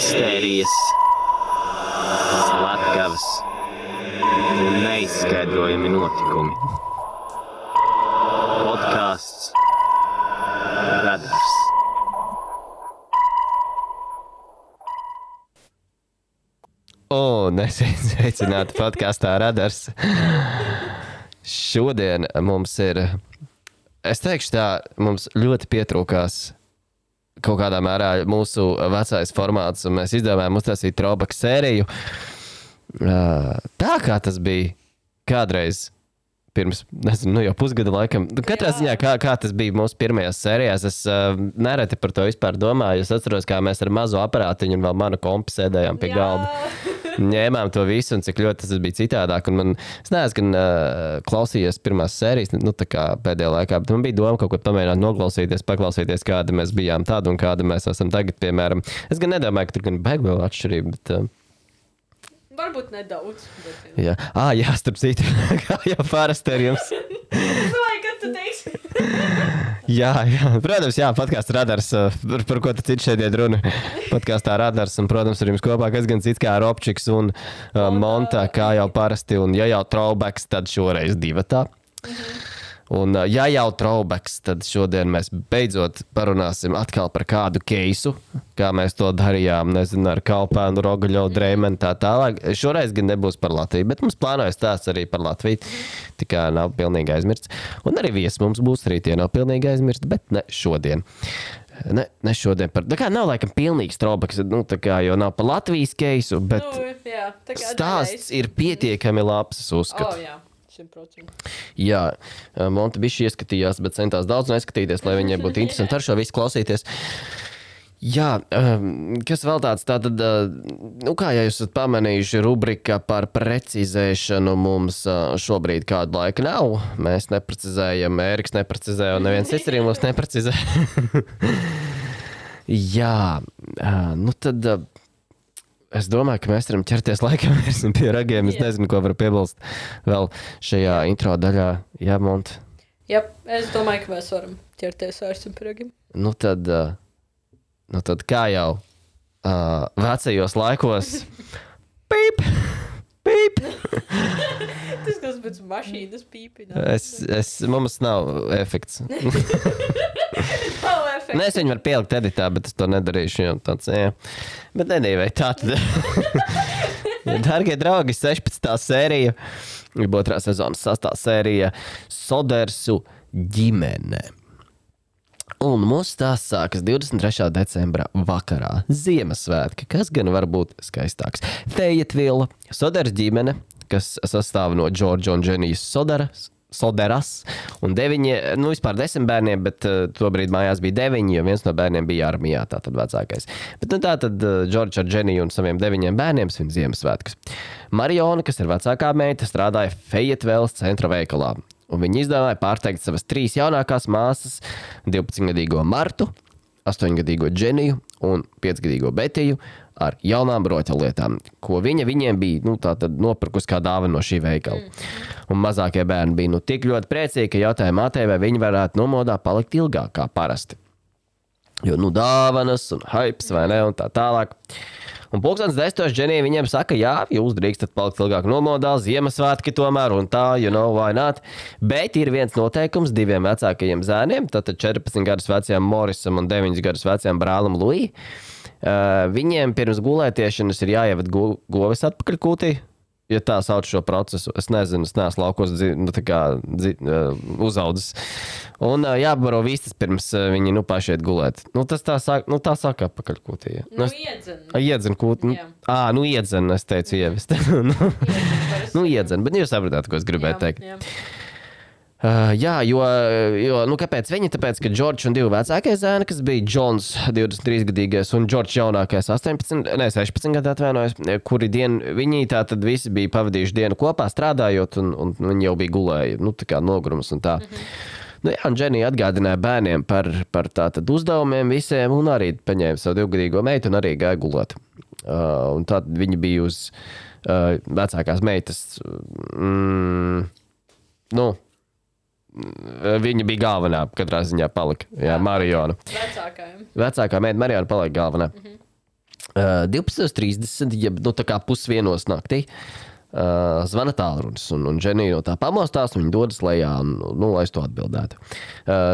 Mistērijas, slepkavas un neizskaidrojami notikumi. Podcasts Radars. Un esiet sveicināti podkastā Radars. Šodien mums ir, es teikšu tā, mums ļoti pietrūkās kaut kādā mērā mūsu vecais formāts, un mēs izdomājām uztaisīt throwback sēriju. Tā kā tas bija kādreiz pirms, nezinu, jau pusgada laikam. Katrā ziņā, kā tas bija mūsu pirmajās sērijās, es nereti par to vispār domāju. Es atceros, kā mēs ar mazu aparātiņu un vēl manu kompi sēdējām pie galda. Ņēmām to visu, un cik ļoti tas bija citādāk. Un es neesmu gan klausījies pirmās sērijas, tā kā pēdējā laikā, bet man bija doma kaut ko pamēģināt noklausīties, paklausīties, kāda mēs bijām tāda un kāda mēs esam tagad, piemēram. Es gan nedomāju, ka tur gan baigi vēl atšķirība, bet... Varbūt nedaudz. Bet... Jā, starp citu, kā jau parasti ar jums. Vai, kad tu teiksi? Jā. Protams, podkāsts Radars, par ko tad cits šeit iet runa. Podkāstā Radars, un, protams, ar jums kopā kas gan cits kā Robčiks un Monta, kā jau parasti, un ja jau throwbacks, tad šoreiz divatā. Un ja jau throwbacks, tad šodien mēs beidzot parunāsim atkal par kādu keisu, kā mēs to darījām, nezinu, ar Kaupēnu, Rogaļovu, Dreimenu, tā tālāk. Šoreiz gan nebūs par Latviju, bet mums plānojas stāsts arī par Latviju, tikā nav pilnīgi aizmirsts. Un arī viesi mums būs arī tie nav pilnīgi aizmirsti, bet ne šodien. Ne šodien par... Tā kā nav laikam pilnīgs throwbacks, tā kā jau nav par Latvijas keisu, bet stāsts ir pietiekami labs, es uzskatu. Jā. 100%. Jā, Monta bišķi ieskatījās, bet centās daudz neskatīties, lai viņai būtu interesanti ar šo visu klausīties. Jā, kas vēl tāds, tātad, kā ja jūs esat pamanījuši, rubrika par precizēšanu mums šobrīd kādu laiku nav. Mēs neprecizējam, Ēriks neprecizē, un neviens cits arī mums neprecizē. Jā, tad... Es domāju, ka mēs varam ķerties laikam pie ragiem. Es nezinu, ko varu piebilst vēl šajā intro daļā. Jā, Mont? Jā, es domāju, ka mēs varam ķerties pie ragiem. Tad kā jau vecajos laikos. Pīp! Pīp! Tas kas pēc mašīnas pīpina. Mums nav efekts. Nē, es viņu varu pielikt editā, bet es to nedarīšu, jo tāds, jā. Bet nedīvai, tā tad. Dargie draugi, 16. sērija, 2. sezonas 6. sērija, Sodersu ģimene. Un mūsu stāsts sākas 23. decembra vakarā, Ziemassvētki, kas gan var būt skaistāks. Fayetteville, Soders ģimene, kas sastāv no Džordža un Dženijas Soderas, un 9, vispār 10 bērniem, bet tobrīd mājās bija 9, jo viens no bērniem bija armijā, tātad vecākais. Bet tātad Džordžs ar Dženiju un saviem 9 bērniem svin Ziemassvētkus. Mariona, kas ir vecākā meita, strādāja Fayettevilles centra veikalā, un viņa izdomāja pārteikt savas 3 jaunākās māsas, 12-gadīgo Martu, 8-gadīgo Dženiju un 5-gadīgo Betiju, ar jaunām rotaļlietām, ko viņiem bija tātad nopirkusi kā dāvana no šī veikala. Un mazākie bērni bija tik ļoti priecīgi, ka jautāja mātei, vai viņi varētu nomodā palikt ilgāk kā parasti. Jo dāvanas un hypes vai ne, un tā tālāk. Un 10:10 Dženija viņiem saka, jā, jūs drīkstat palikt ilgāk nomodā, Ziemassvētki tomēr un tā, why not. Bet ir viens noteikums 2 vecākajiem zēniem, tātad 14 gadus vecajam Morisam un 9 gadus vecajam brālim Luī. Viņiem pirms gulētiešanas ir jāievad govis atpakaļ kūtī, ja tā sauc šo procesu. Es nezinu, es neesmu laukos uzaudzis. Un jābaro vistas pirms viņi paši iet gulēt. Tas tā saka atpakaļ kūtī. Ja. Iedzen kūti. Iedzen, es teicu ievest. Iedzen, bet jūs sapratāt, ko es gribēju teikt. Jā. Jā, jo kāpēc viņi? Tāpēc, ka Džordžs un 2 vecākie zēni, kas bija Džons 23-gadīgais un Džordžs jaunākais 16 gadu atvainojas, kuri viņi tātad visi bija pavadījuši dienu kopā strādājot un viņi jau bija gulēji, tā kā nogurums un tā. Un Dženija atgādināja bērniem par tātad uzdevumiem visiem un arī paņēma savu 2-gadīgo meitu un arī gāja gulēt. Un tātad viņi bija uz vecākās meitas, Viņa bija galvenā, katrā ziņā palika. Jā, Mariona. Vecākajiem. Vecākā meita Mariona palika galvenā. 12:30, ja tā kā 1:30 naktī. Zvana tālrunis, un Dženija no tā pamostās, un viņa dodas lejā, lai es to atbildētu.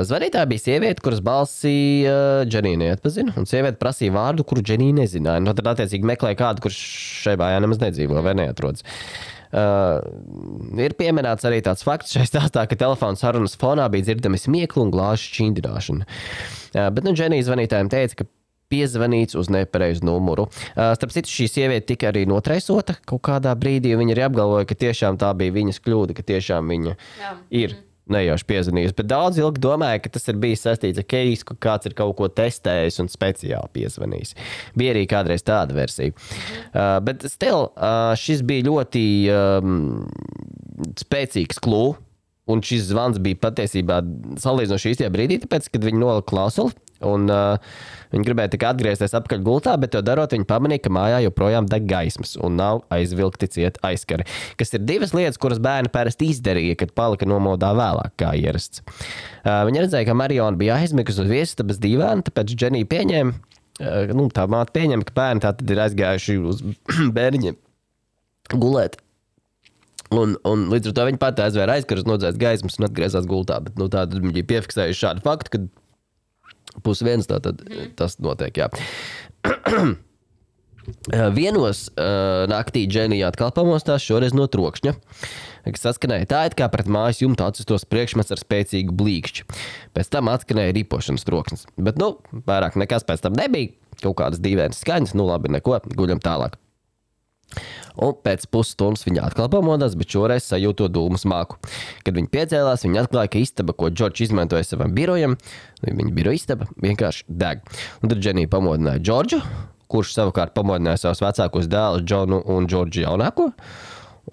Zvanītāja bija sieviete, kuras balsi Dženija neatpazina, un sieviete prasīja vārdu, kuru Dženija nezināja. Tad attiecīgi meklēja kādu, kurš šai mājā nemaz nedzīvo vai neatrodas. Ir pieminēts arī tāds fakts šai stāstā, ka telefona sarunas fonā bija dzirdami smieklu un glāžu šķindināšana. Bet Dženija zvanītājiem teica, ka piezvanīts uz nepareizu numuru. Starp citu, šī sieviete tika arī notreisota kaut kādā brīdī, un viņa arī apgalvoja, ka tiešām tā bija viņas kļūda, ka tiešām viņa ir nejauši piezvanījusi. Bet daudz ilgi domāja, ka tas ir bijis saistīts ar keisu, ka kāds ir kaut ko testējis un speciāli piezvanījis. Bija arī kādreiz tāda versija. Bet still, šis bija ļoti spēcīgs klū, un šis zvans bija patiesībā salīdzinoši īstajā brīdī, tāpēc, kad viņi nolika klausuli, un viņi gribēja tikai atgriezties atpakaļ gultā, bet to darot, viņi pamanīja, ka mājā joprojām deg gaismas un nav aizvilkti ciet aizkari. Kas ir divas lietas, kuras bērni parasti izdarīja, kad palika nomodā vēlāk kā ierasts. Viņi redzēja, ka Mariona bija aizmigusi uz viesistabas dīvāna, tāpēc Dženija pieņēma, tā māte pieņēma, ka bērni tātad ir aizgājuši uz bērniņiem gulēt. Un līdz ar to viņi pati aizvēra aizkarus, nodzēs gaismas un atgriezās gultā. Bet tātad viņi bija piefiksējuši šādu faktu, ka 1:30 tātad tas notiek, jā. Vienos naktī Dženija atkal pamostās, šoreiz no trokšņa, kas saskanēja tā, it kā pret mājas jumtu atsistos priekšmets ar spēcīgu blīkšķi. Pēc tam atskanēja ripošanas troksnis. Bet, vairāk nekas pēc tam nebija. Kaut kādas dīvainas skaņas, labi, neko, guļam tālāk. Un pēc pusstundas viņa atkal pamodās, bet šoreiz sajūto dūmu smaku. Kad viņa piecēlās, viņa atklāja, ka istaba, ko Džordžs izmantoja savam birojam, viņa biroja istaba, vienkārši deg. Un tad Dženija pamodināja Džordžu, kurš savukārt pamodināja savus vecākos dēlus Džonu un Džordžu jaunāko.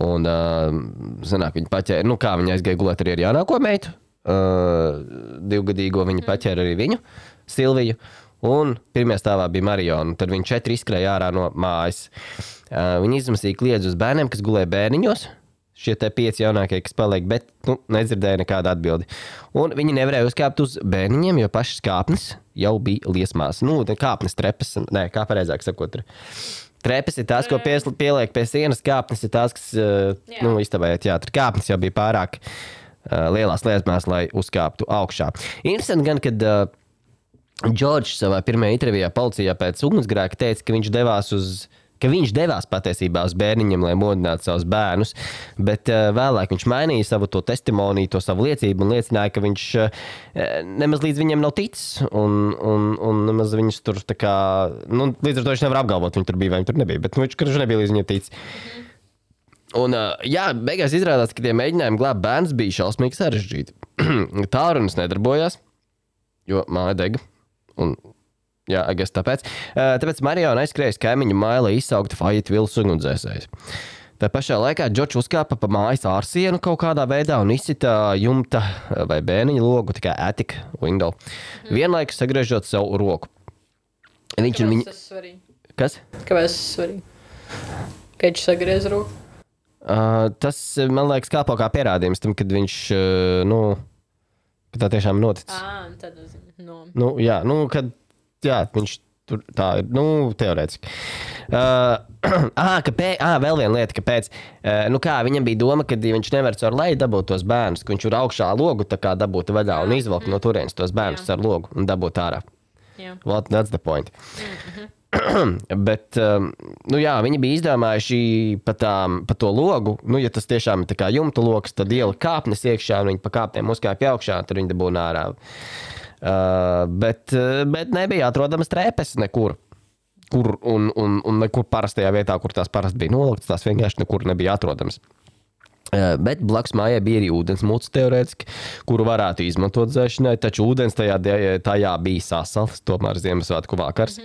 Un, sanāk, viņa paķēra, kā viņa aizgāja gulēt arī ar jaunāko meitu, 2-gadīgo viņa paķēra arī viņu, Silviju. Un pirmajā stāvā bija Mariona, tad viņi 4 izskrēja ārā no mājas. Viņi izmasīja kliedzi uz bērniem, kas gulēja bērniņos, šie te 5 jaunākie, kas paliek, bet nedzirdēja nekādu atbildi. Un viņi nevarēja uzkāpt uz bērniņiem, jo pašas kāpnes jau bija liesmās. Kāpnes trepas, kā pareizāk sakot. Trepes ir tās, ko pieliek pie sienas, kāpnes ir tās, kas, iztabājot, jā, tur kāpnes jau bija pārāk lielās liesmās, lai uzkāptu augšā. Interesanti gan, kad Džordžs savā pirmajā intervijā policijā pēc ugunsgrēka teica, ka viņš devās patiesībā uz bērniņiem, lai modinātu savus bērnus, bet vēlāk viņš mainīja savu to testimoniju, to savu liecību un liecināja, ka viņš nemaz līdz viņiem nav ticis un nemaz viņus tur tā kā, līdz ar to viņš nevar apgalvot, viņi tur bija vai viņi tur nebija, bet viņš nebija līdz viņiem ticis. Un, beigās izrādās, ka tie mēģinājumi glābt bērnus bija šausmīgi sarežģīti. Tālrunis nedarbojās, jo māja dega. Un, jā, tāpēc. Tāpēc Mariona aizskrēja kaimiņu māju, lai izsauktu Fayetteville ugunsdzēsējus. Tā pašā laikā Džordžs uzkāpa pa mājas ārsienu kaut kādā veidā un izsita jumta vai bērniņa logu, tikai attic window, vienlaikus sagriežot savu roku. Kāpēc tas svarīgi? Kas? Kāpēc tas svarīgi? Kad viņš sagriez roku? Tas, man liekas, kāpo kā pierādījums tam, kad viņš, ka tā tiešām noticis. Tad kad viņš tur tā ir, teorētiski. Vēl viena lieta, kāpēc. Viņam bija doma, ka viņš nevar caur leju dabūt tos bērnus, ka viņš ir augšā logu tā kā dabūt vaļā un izvelkt no turienes tos bērnus caur logu un dabūt ārā. Well, that's the point. Bet, viņi bija izdomājuši pa to logu, ja tas tiešām ir tā kā jumta logs, tad ielika kāpnes iekšā un viņi pa kāpnēm uzkāpja augšā, tad viņi dabūna ārā. Bet nebija atrodamas trepes nekur. Un nekur parastajā vietā, kur tās parasti bija noliktas, tās vienkārši nekur nebija atrodamas. Bet blakus mājai bija arī ūdensmuts teorētiski, kuru varētu izmantot dzēšanai, taču ūdens tajā bija sasals, tomēr Ziemassvētku vakars.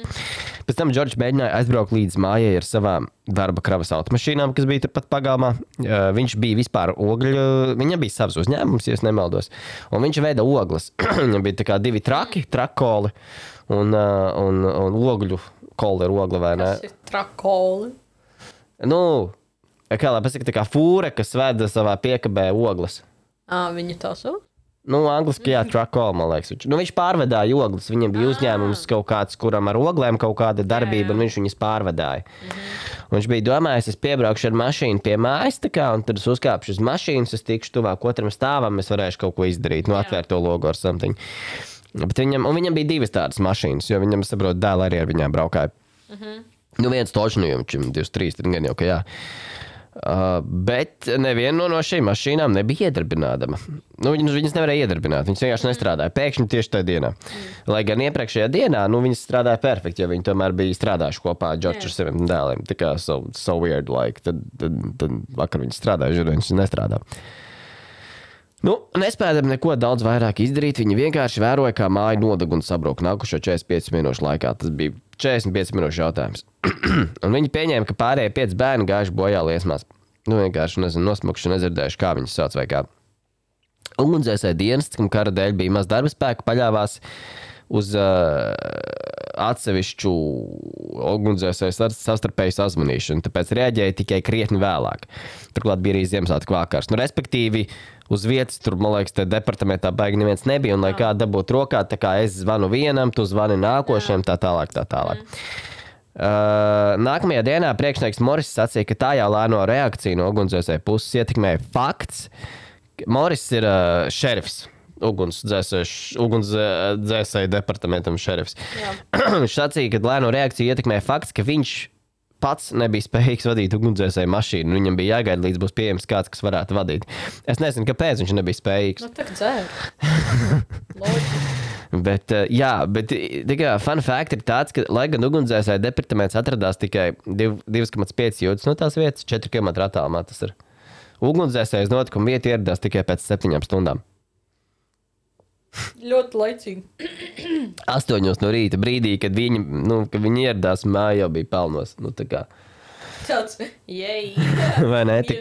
Pēc tam Džordžs mēģināja aizbraukt līdz mājai ar savām darba kravas automašīnām, kas bija turpat pagalmā. Viņš bija vispār viņam bija savs uzņēmums, ja es nemaldos, un viņš veida ogles. Viņam bija tā kā 2 trakoli un ogļu koli ir ogla, vai ne? Kas ir trakoli? Kā lai pasaka, tā kā fūre, kas veda savā piekabē ogles. Viņa tā sauc? Nu, angliski, jā, truck call, man liekas. Viņš pārvedāja ogles. Viņam bija uzņēmums kaut kāds, kuram ar oglēm kaut kāda darbība, un viņš viņas pārvedāja. Un viņš bija domājis, es piebraukšu ar mašīnu pie mājas, un tad es uzkāpšu uz mašīnas, es tikšu tuvāk otram stāvam, es varēšu kaut ko izdarīt, atvērt to logo ar something. Bet viņam bija 2 tādas mašīnas, jo viņam, saprot, dēli arī ar viņām braukāja. Viens točnu, jo viņam 23, tad gan jau, ka jā. Bet neviena no šīm mašīnām nebija iedarbināma. Viņas nevarēja iedarbināt, viņas vienkārši nestrādāja. Pēkšņi tieši tajā dienā. Lai gan iepriekšējā dienā, viņas strādāja perfekti, jo viņi tomēr bija strādājuši kopā Džordžu ar saviem dēliem. Tā kā so weird, like. Tad vakar viņas strādāja, žur viņas nestrādā. Nespējām neko daudz vairāk izdarīt. Viņi vienkārši vēroja, kā māja nodeg un sabrūk nākušo 45 minūšu laikā. Tas bija 45 minūšu jautājums. Un viņi pieņēma, ka pārējie 5 bērni gājuši bojā liesmās. Vienkārši, nosmukuši, nedzirdējuši, kā viņus sauc vai kā. Ugunsdzēsēju dienests, kam kara dēļ bija maz darba spēka, paļāvās uz atsevišķu ugunsdzēsēju savstarpēju sazvanīšanu, tāpēc reaģēja tikai krietni vēlāk. Turklāt bija arī Ziemassvētku vakars. Respektīvi, uz vietas tur, man liekas, te departamentā baigi neviens nebija, un lai kā dabūt rokā, tā kā es zvanu vienam, tu zvani nākošiem, tā tālāk. Nākamajā dienā priekšnieks Moris sacīja, ka tā jau lēno reakciju no ugunsdzēsēju puses ietekmēja fakts. Moris ir šerifs. Ugunsdzēsēju departamentam šerifs. Viņš sacīja, ka lēno reakciju ietekmē fakts, ka viņš pats nebija spējīgs vadīt ugunsdzēsēju mašīnu. Viņam bija jāgaida, līdz būs pieejams kāds, kas varētu vadīt. Es nezinu, kāpēc viņš nebija spējīgs. Tā dzēr. bet tikai fun fact ir tāds, ka, lai gan ugunsdzēsēju departaments atradās tikai 2,5 jūdzes no tās vietas, 4 km attālumā tas ir. Ugunsdzēsējas notikuma vieta ieradās tikai pēc 7 stundām. Ļoti laicīgi. 8 no rīta brīdī, kad viņi ieradās, māja jau bija pelnos. Tāds, jej. Vai ne? Tā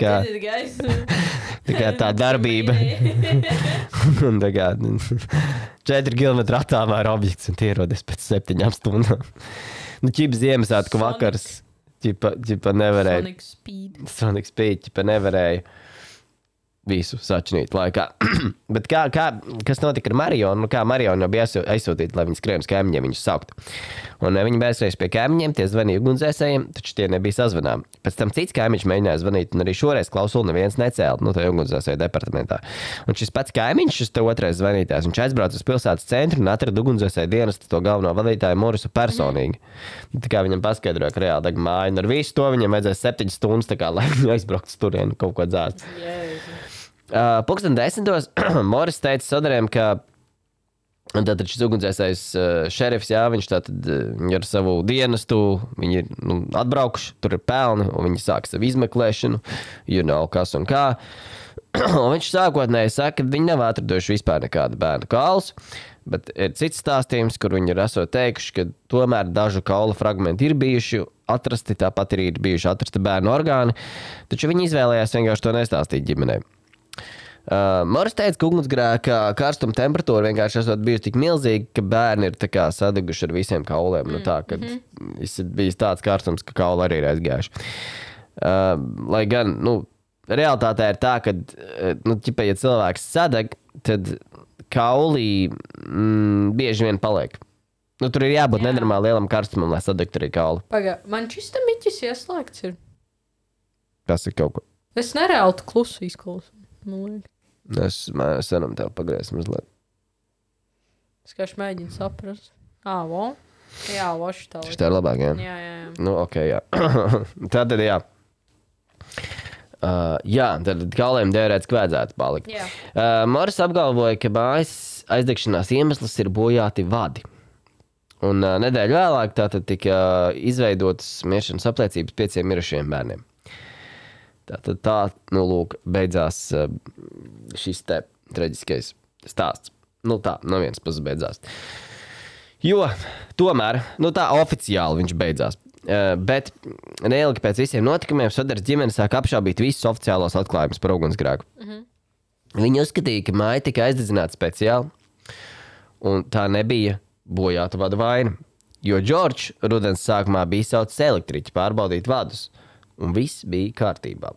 kā tā darbība. Un 4 km attālumā ir objekts un tie ierodas pēc 7 stundām. Ķipa Ziemassvētku vakars. Ķipa nevarēja. Sonic Speed. Ķipa nevarēja visu sačinīt laikā. Bet kas notika ar Marionu? Kā Marionu bija aizsūtīta, lai viņi skrien uz kaimiņiem viņus saukt. Un viņi bērsējas pie kaimiņiem, tie zvanīja ugunsdzēsējiem, taču tie nebija sazvanām. Pēc tam cits kaimiņš mēģināja zvanīt, un arī šoreiz klausuli neviens necēla, tajā ugunsdzēsēju departamentā. Un šis pats kaimiņš, šis te otrais zvanītājs, viņš aizbrauca uz pilsētas centru un atrada ugunsdzēsēju dienestu to galveno vadītāju Morisu personīgi. Tā kā viņam paskaidroja, ka reāli deg māja, un ar visu to viņam vajadzēja 7 stundas, tā kā, lai viņi aizbrauktu uz turienu kaut ko dzēst. Pulksten 10. Moris teica Soderiem, ka tātad šis ugunsdzēsējs šerifs, jā, viņš tātad ar savu dienestu, viņi ir atbraukuši, tur ir pelni, un viņi sāk savu izmeklēšanu, kas un kā. Un viņš sākotnēji saka, ka viņi nav atraduši vispār nekādu bērnu kaulus, bet ir cits stāstījums, kur viņi ir esot teikuši, ka tomēr dažu kaula fragmenti ir bijuši atrasti, tāpat arī ir bijuši atrasti bērnu orgāni, taču viņi izvēlējās vienkārši to nestāstīt ģimenei. Moris teica, ka ugunsgrēka karstuma temperatūra vienkārši esot bijusi tik milzīga, ka bērni ir tā kā sadeguši ar visiem kauliem. Kad bijis tāds karstums, ka kauli arī ir aizgājuši. Lai gan, realitātē ir tā, ka, ja cilvēks sadeg, tad kaulī bieži vien paliek. Tur ir jābūt nenormāli lielam karstumam, lai sadegtu arī kauli. Man šis te miķis ieslēgts ir. Tas ir kaut ko. Es nereāli klusu izklausu. Es senam tev pagriezu mazliet. Es kā mēģinu saprast. Jā, voši tā. Šitā ir labāk, jā? Jā. Ok, jā. Tātad, jā. Tad kauliem teorētiski vajadzētu palikt. Moris apgalvoja, ka mājas aizdegšanās iemesls ir bojāti vadi. Un nedēļu vēlāk tātad tika izveidotas miršanas apliecības 5 mirušiem bērniem. Tātad lūk, beidzās šis te traģiskais stāsts. Tā, no vienas puses beidzās. Jo, tomēr, tā oficiāli viņš beidzās. Bet neilgi pēc visiem notikumiem Soders ģimene sāk apšaubīt visus oficiālos atklājumus par ugunsgrēku. Viņi uzskatīja, ka māja tika aizdedzināta speciāli, un tā nebija bojāta vadu vaina. Jo Džordžs rudens sākumā bija saucis elektriķi pārbaudīt vadus. un viss bija kārtībā.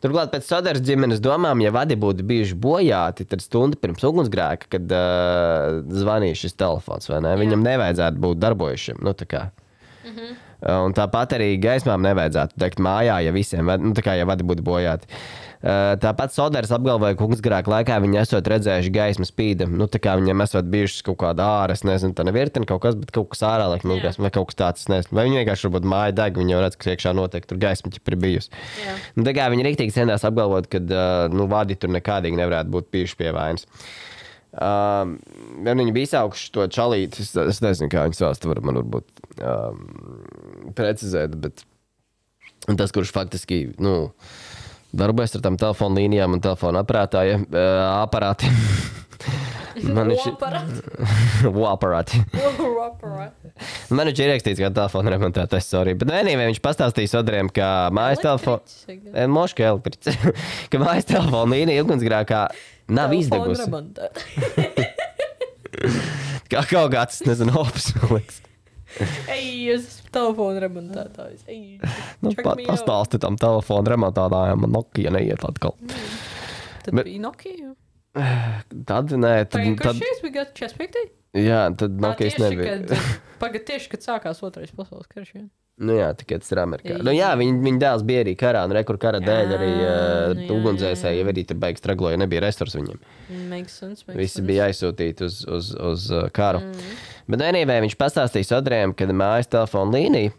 Turklāt pēc Soders ģimenes domām, ja vadi būtu bijuši bojāti, tad stundu pirms ugunsgrēka, kad zvanīja šis telefons, vai ne? Viņam nevajadzētu būt darbojušiem, nu tā kā. Un tāpat arī gaismām nevajadzētu degt mājā, ja visiem, nu tā kā, ja vadi būtu bojāti. Tāpat Soders apgalvoja, ka ugunsgrēka laikā viņi esot redzējuši gaismas spīda, nu tā kā viņiem esot bijušas kaut kāda ārā, es nezinu, tā nevirteni kaut kas, bet kaut kas ārā, laikam, vai kaut kas tāds, es nezinu. Vai viņi vienkārši varbūt māja deg, viņi jau redz, ka iekšā noteikti tur gaisma ķip ir bijusi. Nu, tā kā viņi riktīgi centās apgalvot, ka, nu, vadi tur nekādīgi nevarētu būt bijuši pie vainas. Viņi bija izsaukuši to čalīti, es nezinu, kā viņi sauc, man varbūt precizēt, bet tas, kurš faktiski, nu, darbojas ar tām telefonu līnijām un telefonu aparātiem. Aparāti. Man viņš ir ierakstīts kā telefonu remontētājs, sorry. Bet vienībai viņš pastāstīja Soderiem, ka mājas telefonu... Moška elektricis. Ka mājas telefonu līnija ugunsgrēkā nav izdegusi. Kā kaut kāds, nezinu, opis, man liekas. Ej, es esmu telefonu remontētājs. Nu, pastāsti tam telefonu remontētājiem, man Nokia neiet atkal. Tad bija Nokia? Tad, nē. Kurš šīs bija 45? Jā, tad Nokias nebija. Pagad tieši, kad sākās otrais pasaules karš. Nu jā, tikai tas ir Amerikā. Nu jā, viņa dēls bija arī karā, un rekur kara dēļ arī ugunsdzēsēji jau arī tur beigas tragloja, nebija restors viņiem. Makes sense. Visi bija aizsūtīti uz karu. Bet vienībai viņš pastāstīja Soderiem, ka mājas telefona līnija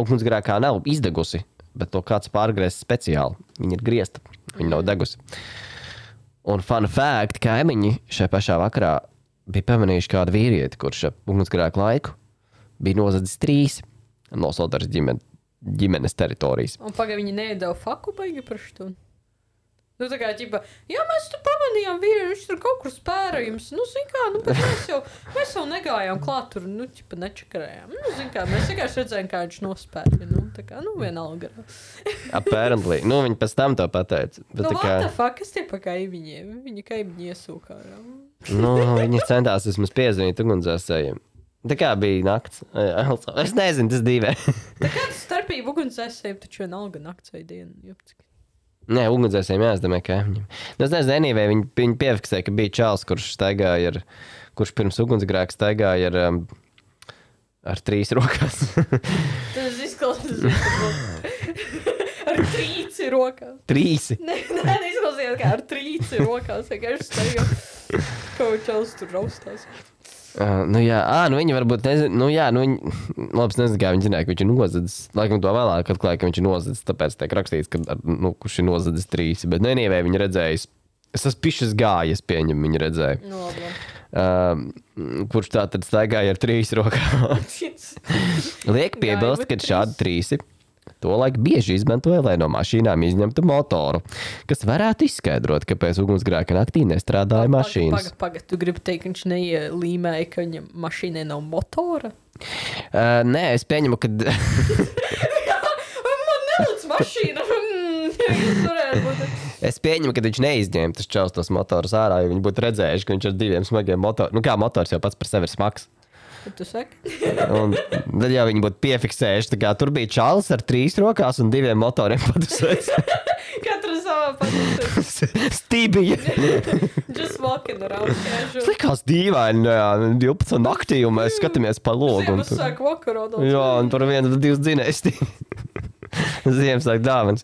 ugunsgrēkā nav izdegusi, bet to kāds pārgriezis speciāli. Viņa ir griezta, viņa nav degusi. Un fun fact, kaimiņi šajā pašā vakarā bija pamanījuši kādu vīrieti, kurš ugunsgrēku laiku bija nozadzis 3 no Soders ģimenes teritorijas. Un pagaid viņi neiedeva faku baigi par šo? Nu tā kā, ķipa, jā, mēs tur pamanījām vīri, viņš tur kaut kur spēra jums. Nu, zin kā, nu, bet mēs jau negājām klāt tur, nu, ķipa, nečakarējām. Nu, zin kā, mēs vienkārši redzējām, kā viņš nospēra. Nu, tā kā, nu, vienalga. Apparently. Nu, viņi pēc tam to pateica. Bet, nu, kā... what the fuck, kas tie pa kaimiņiem? Viņa kaimiņi iesūkā. Nu, viņi centās vismaz piezvanīt ugunsdzēsējiem. Tā kā bija nakts. Es nezinu, tas dīvē. Tā kā tas starpība ugunsdzēsējiem, taču vienalga nakts vai diena. Jopcik. Nē, ugunsdzēsējiem jāsdamē kaimiņiem. Es nezinu, anyway, viņi piefiksēja, ka bija čāls, kurš pirms ugunsgrēka staigāja ar 3 rokās. Tas izklausās. Ar 3 rokās. 3? Nē, izklausījās, kā ar 3 rokās. Vienkārši staigā. Kaut čals tur raustās. Nu jā, nu viņi varbūt nezinu, nu jā, nu viņi, labs nezinu, kā viņi zināja, ka viņš ir nozadzis. Laikam to vēlāk atklāja, ka viņš ir nozadzis, tāpēc tiek rakstīts, ka, nu, kurš ir nozadzis 3. Bet nenievē viņi redzējis, es esmu pišas gājis, pieņem, viņi redzēja. Nu, labi. Kurš tā tad staigāja ar 3 rokās. Liek piebilst, ka šādi 3 tolaik bieži izmantoja, lai no mašīnām izņemtu motoru, kas varētu izskaidrot, kāpēc ugunsgrēka naktī nestrādāja mašīnas. Pagad, tu gribi teikt, ka viņš neielīmēja, ka viņam mašīnai nav motora? Nē, es pieņemu, ka... Man nelic mašīna. Es pieņemu, ka viņš neizņēma tas čaus tos motorus ārā, jo viņi būtu redzējuši, ka viņš ar 2 smagiem motoriem... Nu kā motors jau pats par sevi ir smags. Tu saki? Un tad jau viņi būtu piefiksējuši, tā kā tur bija čalis ar 3 rokās un 2 motoriem padusēs. Katra savā padusēs. Stībija. Just walking around casual. Tas likās dīvaini, 12 naktī, un mēs skatāmies pa logu. Ziemassvētku sāk vakarā. Jā, un tur 1 vai 2 dzinēsti. Ziemassvētku dāvans.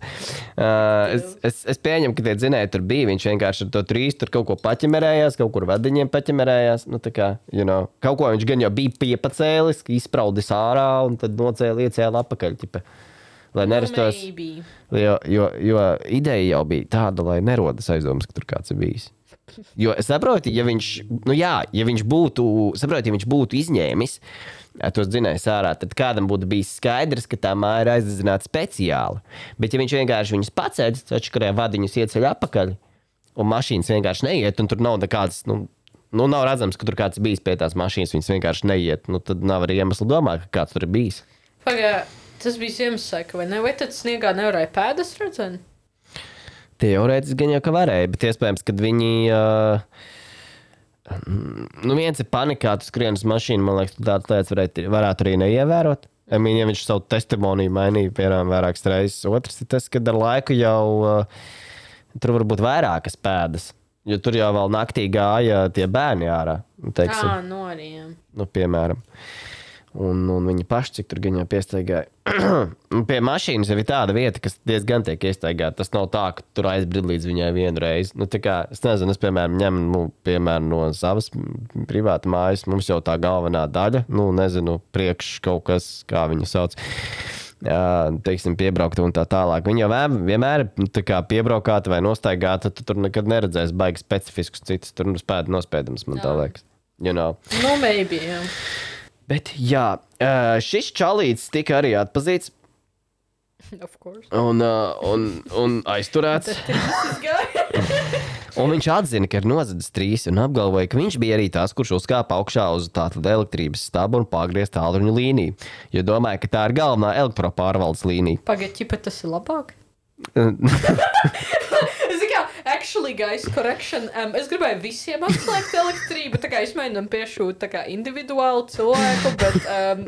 Es pieņemu, ka tie dzinēji tur bija. Viņš vienkārši ar to 3 tur kaut ko paķemerējās, kaut kur vadiņiem paķemerējās. Nu, tā kā, kaut ko viņš gan jau bija piepacēlis, izpraudis ārā un tad nocēla iecēla apakaļ. Ķipa, lai nerastos. Jo ideja jau bija tāda, lai nerodas aizdomas, ka tur kāds ir bijis. Jo es saprotu, ja viņš būtu izņēmis tos dzinējus ārā, tad kādam būtu bijis skaidrs, ka tā māja ir aizdedzināta speciāli. Bet ja viņš vienkārši viņus pacēdz, atškarē vadiņus ieceļ apakaļ, un mašīnas vienkārši neiet, un tur nav nekāds, nav redzams, ka tur kāds bijis pie tās mašīnas, viņas vienkārši neiet, tad nav arī iemesla domāt, ka kāds tur ir bijis. Pagā, tas bija Ziemassvētku, vai ne? Vai tad sniegā nevarēja pēdas redzēt? Teorētiski gan jau, ka varēja, bet iespējams, kad viņi... viens ir panikā, tu skrien uz mašīnu, man liekas, tu tādas lietas varētu arī neievērot. Ja viņš savu testimoniju mainīja, piemēram, vairākas reizes. Otrs ir tas, ka ar laiku jau tur var būt vairākas pēdas. Jo tur jau vēl naktī gāja tie bērni ārā. Teiksim. No arī, jā. Nu, piemēram. Un viņi paši, cik tur gan jau piestaigāja. Pie mašīnas jau ir tāda vieta, kas diezgan tiek iestaigāta. Tas nav tā, ka tur aizbrīd līdz viņai vienu reizi. Nu, tā kā, es nezinu, es, piemēram, ņemu, piemēram, no savas privāta mājas, mums jau tā galvenā daļa, nezinu, priekš kaut kas, kā viņu sauc, teiksim, piebraukta un tā tālāk. Viņa jau vienmēr tā kā piebraukāta vai nostaigāta, tu tur nekad neredzēsi baigi specifiskus citus, tur spēdi nospēdams, man tā liekas. You know. Nu, maybe, jā. Bet, jā, šis čalīts tika arī atpazīts. Of course. Un aizturēts. Un viņš atzina, ka ir nozadzis 3 un apgalvoja, ka viņš bija arī tas, kurš uzkāpa augšā uz tātad elektrības stabu un pagriez tālruņu līniju. Jo domāja, ka tā ir galvenā elektropārvaldes līnija. Pagaid, tas ir labāk? Actually, guys, correction. Es gribēju visiem atslēgt elektrību, tā kā es mēģinām piešūt tā kā individuālu cilvēku, but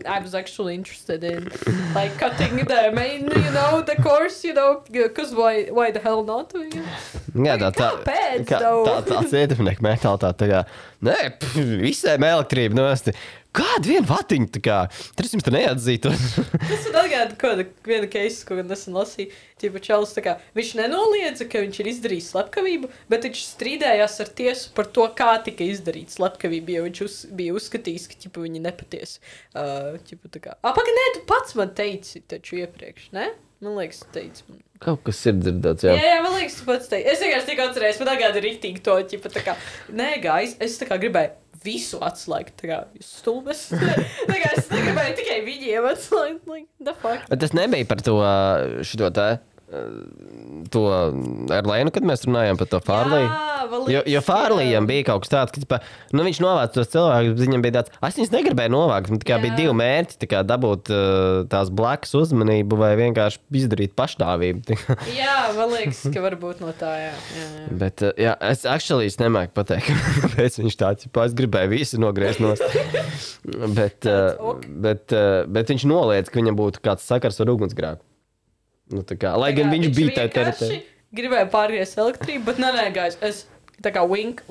I was actually interested in like cutting the main, the course, because why the hell not? Jā, tāds ietekmnieka mentalitāte, tā kā, visiem elektrība nosti. Kādu vienu vatiņu, tā kā, tur jums neatzītos. Tas ir atgāda viena keisa, ko nesen lasīju. Tīpa Čalis, tā kā, viņš nenoliedza, ka viņš ir izdarījis slepkavību, bet viņš strīdējās ar tiesu par to, kā tika izdarīts slepkavība, jo viņš bija uzskatījis, ka, ķipa, viņi nepatiesi. Tā kā, nē, tu pats man teici taču iepriekš, ne? Man liekas, tu teici man. Kaut kas ir dzirdēts, jā. Jā, man liekas, tu pats teici. Es vienkārši tiku atcerējis, man atgāda riktīgi to, ķipa, tā kā, nē, guys, es tā kā gribēju visu atslēgt, tā kā jūs stulbes. Tā kā es negribēju tikai viņiem atslēgt, like, the fuck. Bet tas nebija par to šito to Erlēnu, kad mēs runājām par to Fārliju. Jo Fārlijam bija kaut kas tāds, ka viņš novāca tos cilvēkus, bet viņam bija tāds, es viņus negribēju novākt, man tikai bija 2 mērķi, tā kā dabūt tās blakus uzmanību vai vienkārši izdarīt pašnāvību. Jā, man liekas, ka varbūt no tā, jā. Bet, jā, es nemāku pateikt, kāpēc viņš tāds, es gribēju visu nogriezt nost. bet viņš noliedz, ka viņam būtu kāds sakars ar ugunsgrēku. Nu, kā, lai gan viņš bija tajā teritorijā. Gribēju pārgriezt elektrību, bet nē, guys, es tā kā wink,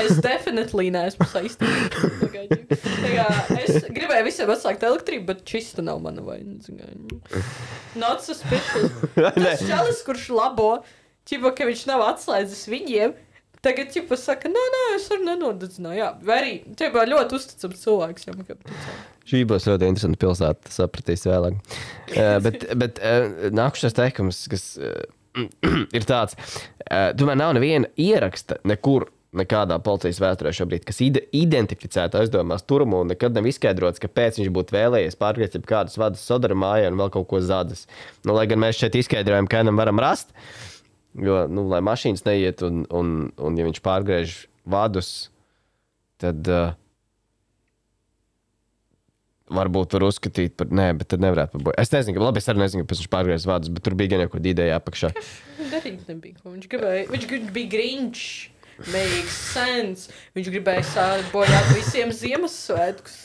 es definitely neesmu saistīta. Es gribēju visiem atslēgt elektrību, bet čista nav mana vaina. Not suspicious. Tas čalis, kurš labo, ķipa, ka viņš nav atslēdzis viņiem, tagad ķipa saka, nē, es arī nenodedzināju. Jā, vai arī, ķipa, ļoti uzticams cilvēks. Šī būs ļoti interesanta pilsēta, sapratīs vēlāk. Bet nākušais teikums, kas ir tāds, tomēr nav neviena ieraksta nekur, nekādā policijas vēsturē šobrīd, kas identificētu aizdomās turumu un nekad nav izskaidrots, kāpēc viņš būtu vēlējies pārgriezt kādus vadus Sodara mājā un vēl kaut ko zadas. Lai gan mēs šeit izskaidrojam, kādam varam rast, jo, lai mašīnas neiet un ja viņš pārgriež vadus, tad varbūt var uzskatīt par... Nē, bet tad nevarētu par boju. Es nezinu, labi, es arī nezinu, kāpēc viņš pārgriez vārdus, bet tur bija gan jau kaut ideja apakšā. Darīt nebija, ko viņš gribēja. Viņš bija Grinch. Makes sense. Viņš gribēja bojāt visiem Ziemassvētkus.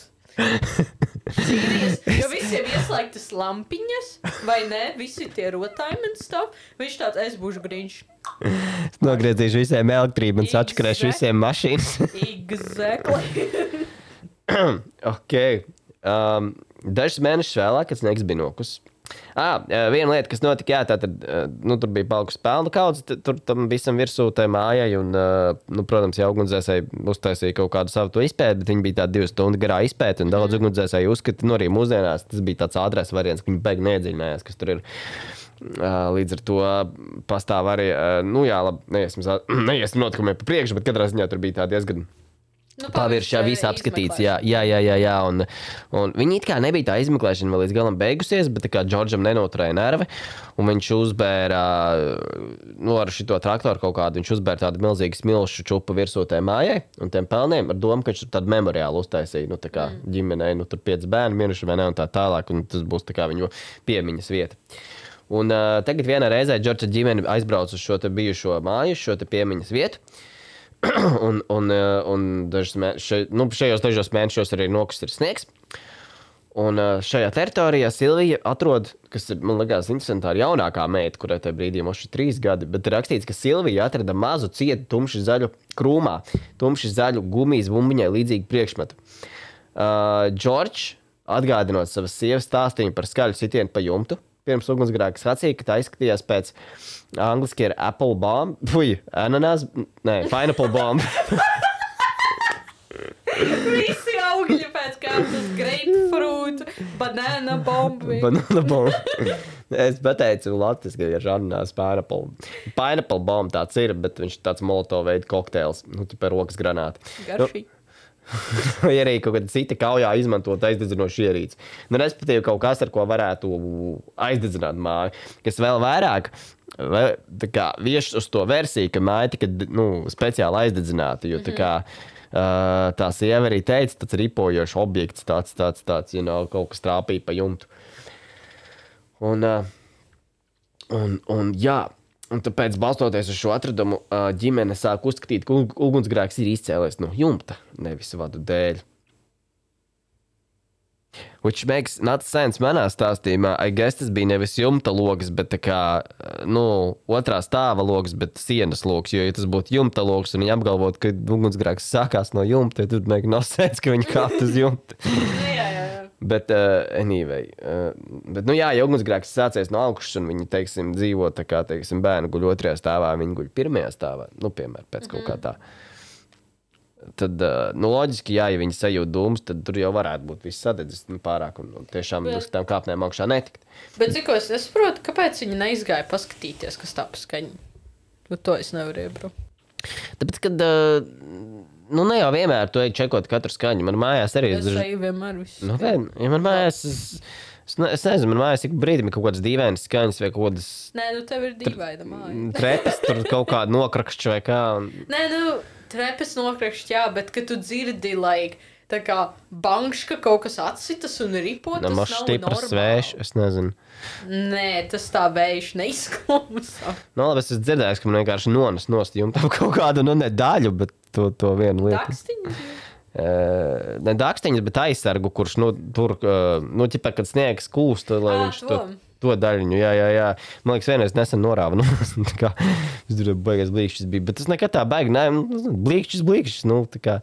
Serious. Jo visiem ieslēgtas lampiņas, vai ne? Visi tie rotājumi un stuff. Viņš tāds, es būšu Grinch. Es nogriezīšu visiem elektrību un sačakarēšu visiem mašīnas. Exactly. Ok. Dažus mēnešus vēlāk, kad sniegs bija nokus. Viena lieta, kas notika, tātad, tur bija palikusi pelnu kaudze, tur tam visam virsū tai mājai, un, protams, ja ugunsdzēsēji uztaisīja kaut kādu savu to izpēti, bet viņi bija tādi 2 stundu garā izpēti, un daudz ugunsdzēsēji uzskata, arī mūsdienās tas bija tāds ātrais variants, ka viņi beig neiedziļinājās, kas tur ir. Līdz ar to pastāv arī, neiesim notikumiem pa priekšu, bet katrā ziņā tur bija tā diezgan paviršā viss apskatīts, jā, un viņi it kā nebija tā izmeklēšana vēl līdz galam beigusies, bet tā kā Džordžam nenoturēja nervi, un viņš uzbēra, ar šito traktoru kaut kādu, viņš uzbēra tādu milzīgu smilšu čupu virsū tai mājai, un tiem pelniem ar domu, ka viņš tur tādu memoriālu uztaisīja, tā kā ģimenei, tur 5 bērni miruši vai ne, un tā tālāk, un tas būs tā kā viņu piemiņas vieta. Un tagad vienā reizē Džordža ģimene aizbrauc uz šo te bijušo māju, šo te piemiņas vietu, un šajos dažos mēnešos arī nokus ir sniegs. Un šajā teritorijā Silvija atrod, kas ir, man liekas, interesanti, tā ir jaunākā meita, kurai tajā brīdī mums ir 3 gadi, bet ir rakstīts, ka Silvija atrada mazu cietu tumši zaļu krūmā, tumši zaļu gumijas bumbiņai līdzīgu priekšmetu. Džordžs, atgādinot savas sievas stāstījumu par skaļu sitienu pa jumtu, pirms ugunsgrēka sacīja, ka tā izskatījās pēc angliski ir apple bomb, pineapple bomb. Visi augļi pēc kārtas, grapefruit, banana bombi. Banana bomb. Es pateicu latviski, ka ir žarnās pineapple. Pineapple bomb tāds ir, bet viņš tāds molotov veida kokteils, tipa rokas granāti. Garšīgi. Vai arī kaut kāda cita kaujā izmantot aizdedzinošu ierīci. Respektīvi kaut kas, ar ko varētu aizdedzināt māju. Kas vēl vairāk vieš uz to versiju, ka māja tika speciāli aizdedzināta, jo tā kā tā sieva arī teica, tāds ripojošs objekts, tāds, kaut kas trāpīja pa jumtu. Un jā, un tāpēc, balstoties uz šo atradumu, ģimene sāk uzskatīt, ka ugunsgrēks ir izcēlies no jumta, nevis vadu dēļ. Which makes not sense manā stāstījumā. I guess tas bija nevis jumta logs, bet tā kā, otrā stāva logs, bet sienas logs. Jo, ja tas būtu jumta logs un viņi apgalvot, ka ugunsgrēks sākās no jumta, tad make no sense, ka viņi kāpt uz jumta. Jā. Bet, anyway, ja ugunsgrēks sācies no augšas un viņi, teiksim, dzīvo tā kā, teiksim, bērni guļ 2. stāvā, viņi guļ 1. stāvā, piemēram, pēc kaut kā tā. Tad, loģiski, ja viņi sajūt dūmus, tad tur jau varētu būt viss sadedzis pārāk un tiešām uz tām kāpnēm augšā netikt. Bet cik es nesaprotu, kāpēc viņi neizgāja paskatīties, kas tā pa skaņu? To es nevaru iebraukt. Tāpēc, kad, ne jau vienmēr tu ej čekot katru skaņu. Man mājās arī... Es eju vienmēr visu. Ja man mājās... Es nezinu, man mājās ik brīdim ir kaut kādas dīvainas skaņas vai kaut kādas... Nē, tev ir dīvaina māja. Trepas, tur kaut kāda nokrakšķa vai kā. Nē, trepas nokrakšķi, jā, bet kad tu dzirdi, tā kā bankška kaut kas atsitas un ripo, tas nav stiprs normāli. Vējš, es nezinu. Nē, tas tā vējš neizklausās. Labi, es dzirdēju, ka man vienkārši nones nost jumtam kaut kādu, ne daļu, bet to vienu lietu. Dakstiņas? Ne dakstiņas, bet aizsargu, kurš, tur, ķipā, kad sniegs kūst, lai viņš to daļiņu, jā. Man liekas, vienreiz nesen norāva, tā kā, es tur baigais blīkšķis bija, bet tas nekad tā baigi, blīkšķis, tā kā,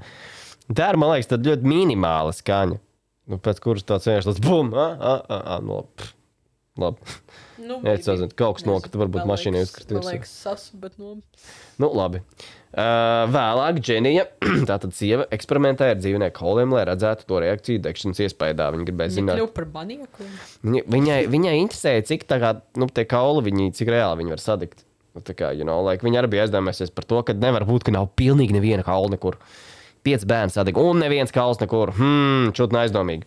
tā ir, man liekas, tad ļoti minimāla skaņa, pēc kuras tāds vienkārši tāds bum, labi. Es sazinu, kaut kas nokrita, varbūt mašīnai uzkrita. Man liekas, sasu, bet labi. Vēlāk Dženija, tātad sieva, eksperimentēja ar dzīvnieku kauliem, lai redzētu to reakciju degšanas iespējā. Viņa gribēja zināt. Viņa kļuva par manieku. Viņai interesēja, cik tā kā, tie kauli, cik reāli viņi var sadegt. Tā kā, viņa arī bija aizdomājusies par to, ka nevar būt, ka nav pilnīgi neviena kaula nekur. 5 bērni sadeg, un neviens kauls nekur. Čutni aizdomīgi.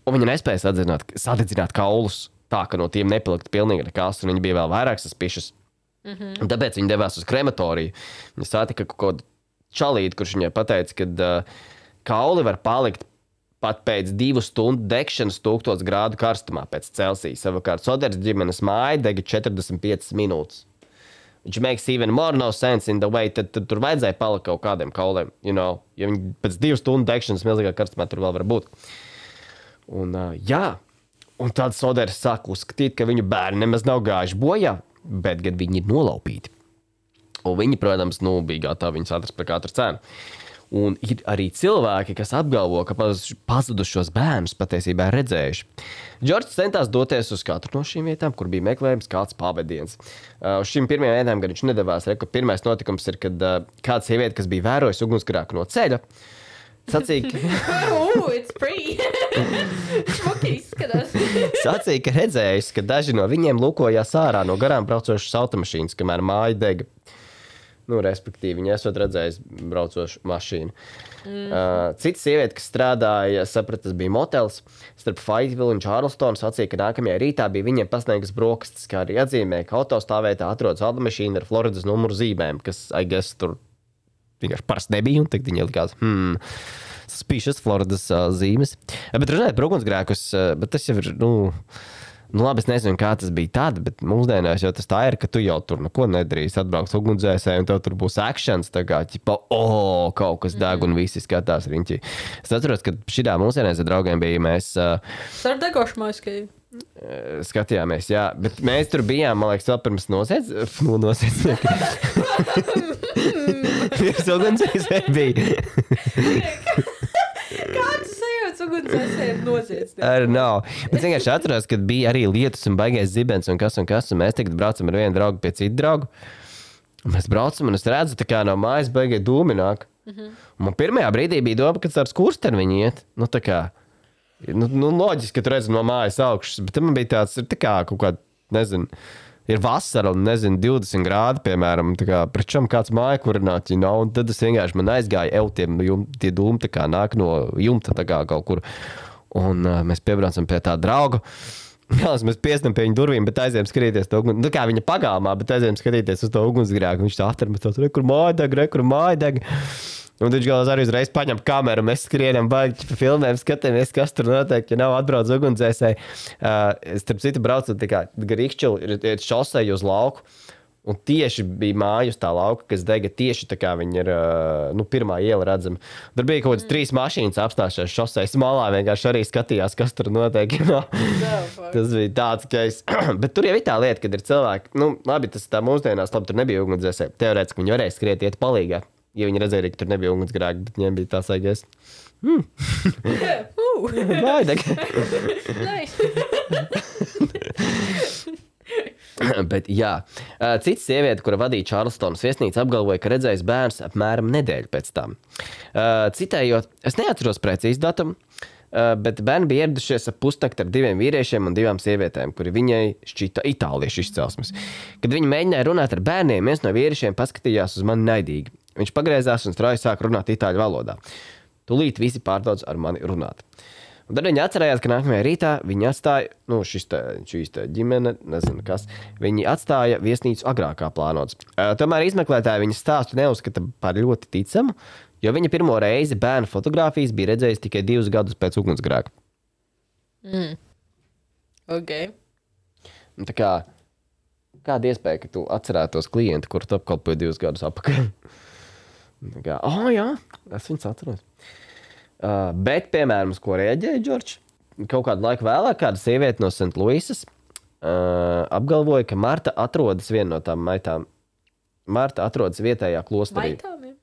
Un viņa nespēja sadedzināt kaulus tā, ka no tiem nepalikt pilnīgi nekas, un viņa bija vēl vairāk saspišas. Un tāpēc viņa devās uz krematoriju. Viņa satika kaut kādu čalīti, kurš viņai pateica, ka kauli var palikt pat pēc 2 stundu degšanas 1000 grādu karstumā pēc Celsija. Savukārt Soders ģimenes māja dega 45 minūtes. Which makes even more no sense in the way, tad tur vajadzēja palikt kaut kādiem kauliem, ja viņi pēc 2 stundu degšanas milzīgā karstumā tur vēl var būt. Un un tad Soders sāk uzskatīt, ka viņu bērni nemaz nav gājuši bojā, bet gan viņi ir nolaupīti. Un viņi, protams, bija gatavi viņus atrast par katru cenu. Un ir arī cilvēki, kas apgalvo, ka pazudušos bērnus patiesībā redzējuši. Džordžs centās doties uz katru no šīm vietām, kur bija meklējums kāds pavadiens. Uz šīm pirmajām vietām gan viņš nedavās. Pirmais notikums ir, kad kāda sieviete, kas bija vērojusi ugunsgrēku no ceļa, sacīja, it's free. Šmuki izskatās. Sacīja, ka redzējis, ka daži no viņiem lūkojās ārā no garām braucošas automašīnas, kamēr māja dega. Respektīvi, viņi esot redzējis braucošu mašīnu. Cita sieviete, kas strādāja, tas bija motels starp Fayetteville un Charlestonu, sacīja, ka nākamajā rītā bija viņiem pasniegas brokastis, kā arī atzīmēja, ka autostāvvietā atrodas automašīna ar Floridas numuru zīmēm, kas, I guess, tur vienkārši parasti nebija, un tagad viņi likās, suspicious Floridas zīmes. Bet runājot par ugunsgrēkus, bet tas jau ir, Nu, labi, es nezinu, kā tas bija tad, bet mūsdienās jau tas tā ir, ka tu jau tur neko nedarīsi. Atbrauks ugunsdzēsēji, un tev tur būs actions, tā kā, ķipa, kaut kas deg, un visi skatās riņķī. Es atceros, ka šitā mūsdienās ar draugiem bija, mēs Ar degošu maiskēju. skatījāmies, jā, bet mēs tur bijām, man liekas, vēl pirms nosiec. Pirms ugunsdzēsēji bija. Kāds sajūts ugunsdzēsēji nosiec? Bet vienkārši atceros, kad bija arī lietus un baigais zibens un kas, un mēs tagad braucam ar vienu draugu pie citu draugu. Un mēs braucam, un es redzu, tā kā no mājas baigai dūmi nāk. Un man pirmajā brīdī bija doma, ka ar skursteni viņi iet. Nu, tā kā, loģiski, ka tu redzi no mājas augšas, bet man bija tāds, ir tā kā kaut kāda, nezinu, ir vasara un, nezinu, 20 grādi, piemēram, tā kā prečam kāds māja kurināt, un tad es vienkārši man aizgāju, tie dūmi tā kā nāk no jumta tā kā kaut kur. Un mēs piebraucam pie tā drauga. Mēs piestam pie viņa durvīm, bet aizējām skatīties to uguns. Nu kā viņa pagalmā, bet aizējām skatīties uz to ugunsgrēku. Viņš tā aptarmas tos, kur māja deg. Un viņš galvās arī uzreiz paņem kameru, mēs skrienam, baigi pa filmēm, skatāmies, kas tur notiek, ja nav atbrauc ugunsdzēsēji. Starp citu braucot tā kā Rīkšķili ir šosei uz lauku, un tieši bija māja uz tā lauka, kas dega tieši tā kā viņi ir, pirmā iela redzama. Tur bija kaut kāds 3 mašīnas apstājušās šoseis malā, vienkārši arī skatījās, kas tur notiek. Tas bija tāds, ka bet tur jau ir tā lieta, kad ir cilvēki, labi, tas tā mūsdienās, labi, tur nebija ugunsdzēsēji. Teorētiski viņi varēja skriet iet palīgā. Ja viņi redzēja, ka tur nebija ugunsgrēki, bet viņiem bija tā saigies. Baideg. Bet jā. Cits sieviete, kura vadīja Čārlstonas viesnīcu, apgalvoja, ka redzējis bērns apmēram nedēļu pēc tam. Citējot, es neatceros precīzi datumu, bet bērni bija ieradušies ap pusnakti ar 2 vīriešiem un 2 sievietēm, kuri viņai šķita itāliešu izcelsmes. Kad viņi mēģināja runāt ar bērniem, viens no vīriešiem paskatījās uz mani naidīgi. Viņš pagriezās un strauji sāk runāt itāļu valodā. Tūlīt visi pārdodz ar mani runāt. Un tad viņi atcerējās, ka nākamajā rītā viņi atstāja, šīs ģimene, nezinu kas, viņi atstāja viesnīcu agrākā plānots. Tomēr izmeklētāji viņas stāstu neuzskata par ļoti ticamu, jo viņa pirmo reizi bērnu fotogrāfijas bija redzējis tikai 2 gadus pēc ugunsgrēka. Ok. Un tā kā, kāda iespēja, ka tu atcerētos klientu, kuru tu apkalpoji 2 gadus apakaļ? Tā kā, jā, es viņus atceros. Bet, piemēram, uz ko reaģēja Džordžs? Kaut kādu laiku vēlāk kāda sieviete no St. Louisas apgalvoja, ka Marta atrodas viena no tām maitām. Marta atrodas vietējā klosterī. Maitām, jā?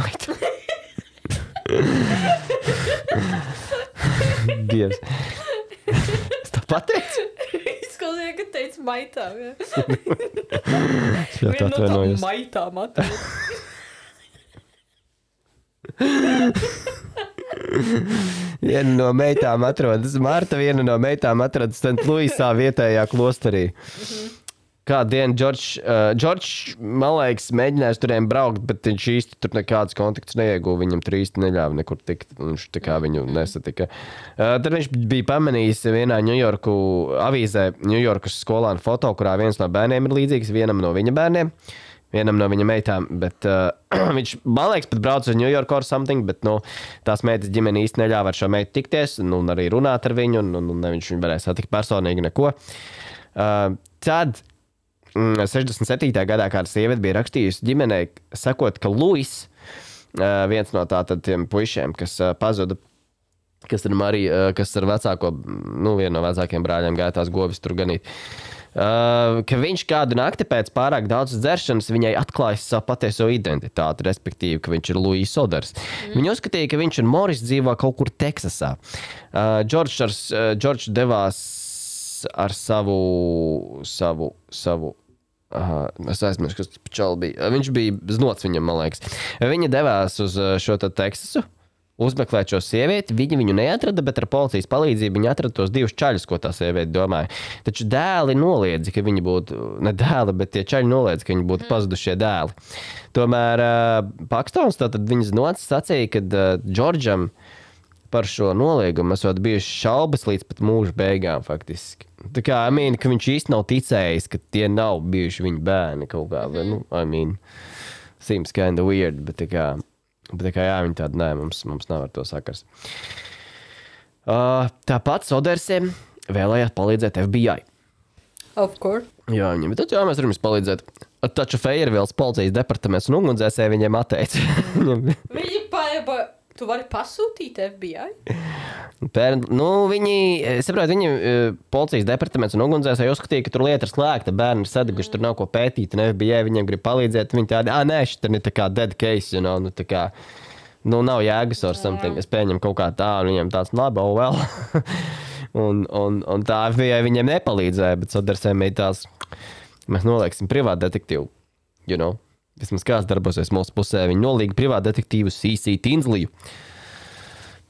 Maitām. Dievs. Es tā pateicu? Izklausīja, ka teica maitām, jā. Es ļoti Viena no tām atvainojos. maitām atrodas. Viena no meitām atrodas Marta, viena no meitām atrodas St. Louisā vietējā klosterī. Kādu dienu Džordžs, man liekas, mēģinājis turiem braukt, bet viņš īsti tur nekādas kontaktus neieguva. Viņam tur īsti neļāva nekur tikt. Viņš tā kā viņu nesatika. Tad viņš bija pamanījis vienā Ņujorku avīzē, Ņujorkas skolānu foto, kurā viens no bērniem ir līdzīgs vienam no viņa bērniem. Vienam no viņa meitām, bet viņš, man liekas, pat brauc uz New York or something, bet, tās meitas ģimene īsti neļāva ar šo meitu tikties, un arī runāt ar viņu, un viņš viņu varēja satikt personīgi neko. Tad 67. gadā kāda sieviete bija rakstījusi ģimenei, sakot, ka Luis, viens no tiem puišiem, kas pazuda, kas ar vecāko, vienu no vecākiem brāļiem gāja tās govis tur ganīt, ka viņš kādu nakti pēc pārāk daudz dzeršanas viņai atklājas savu patieso identitāti, respektīvi, ka viņš ir Luis Soders. Viņa uzskatīja, ka viņš un Moris dzīvo kaut kur Teksasā. Džordžs devās ar savu es aizmirsu, kas čali bija. Viņš bija znots viņam, man liekas. Viņa devās uz šo Teksasu, uzmeklēt šo sievieti, viņi viņu neatrada, bet ar policijas palīdzību viņi atrada tos 2 čaļus, ko tā sieviete domāja. Taču dēli noliedza, ka viņi būtu, ne dēli, bet tie čaļi noliedza, ka viņi būtu pazudušie dēli. Tomēr Pakstons, tātad viņas nocis sacīja, ka Džordžam par šo noliegumu esot bijuši šaubas līdz pat mūža beigām, faktiski. Tā kā, ka viņš īsti nav ticējis, ka tie nav bijuši viņa bērni kaut kā, seems kind of weird, bet tā kā, jā, viņi tādi, nē, mums nav ar to sakars. Tāpat Sodersiem vēlējās palīdzēt FBI. Of course. Jā, viņam ir jā, mēs varam jums palīdzēt. Taču Feiervils policijas departaments un ugunsdzēsēji viņiem atteica. Viņi tu vari pasūtīt FBI? Viņi, saprot, policijas departaments un ugunsdzēsēji uzskatīja, ka tur lieta ir slēgta, bērni ir sadeguši, tur nav ko pētīt, un FBI viņiem grib palīdzēt. Viņi tādi, nē, šit ir tā kā dead case, tā kā, nav jēgas or something. Es pieņemu kaut kā tā, un viņiem tāds, labi, well. un tā FBI viņiem nepalīdzēja, bet Sodersēm ir tās, mēs nolieksim privātu detektīvu, Vismaz kāds darbosies mūsu pusē. Viņi nolīga privātu detektīvu C.C. Tinsliju.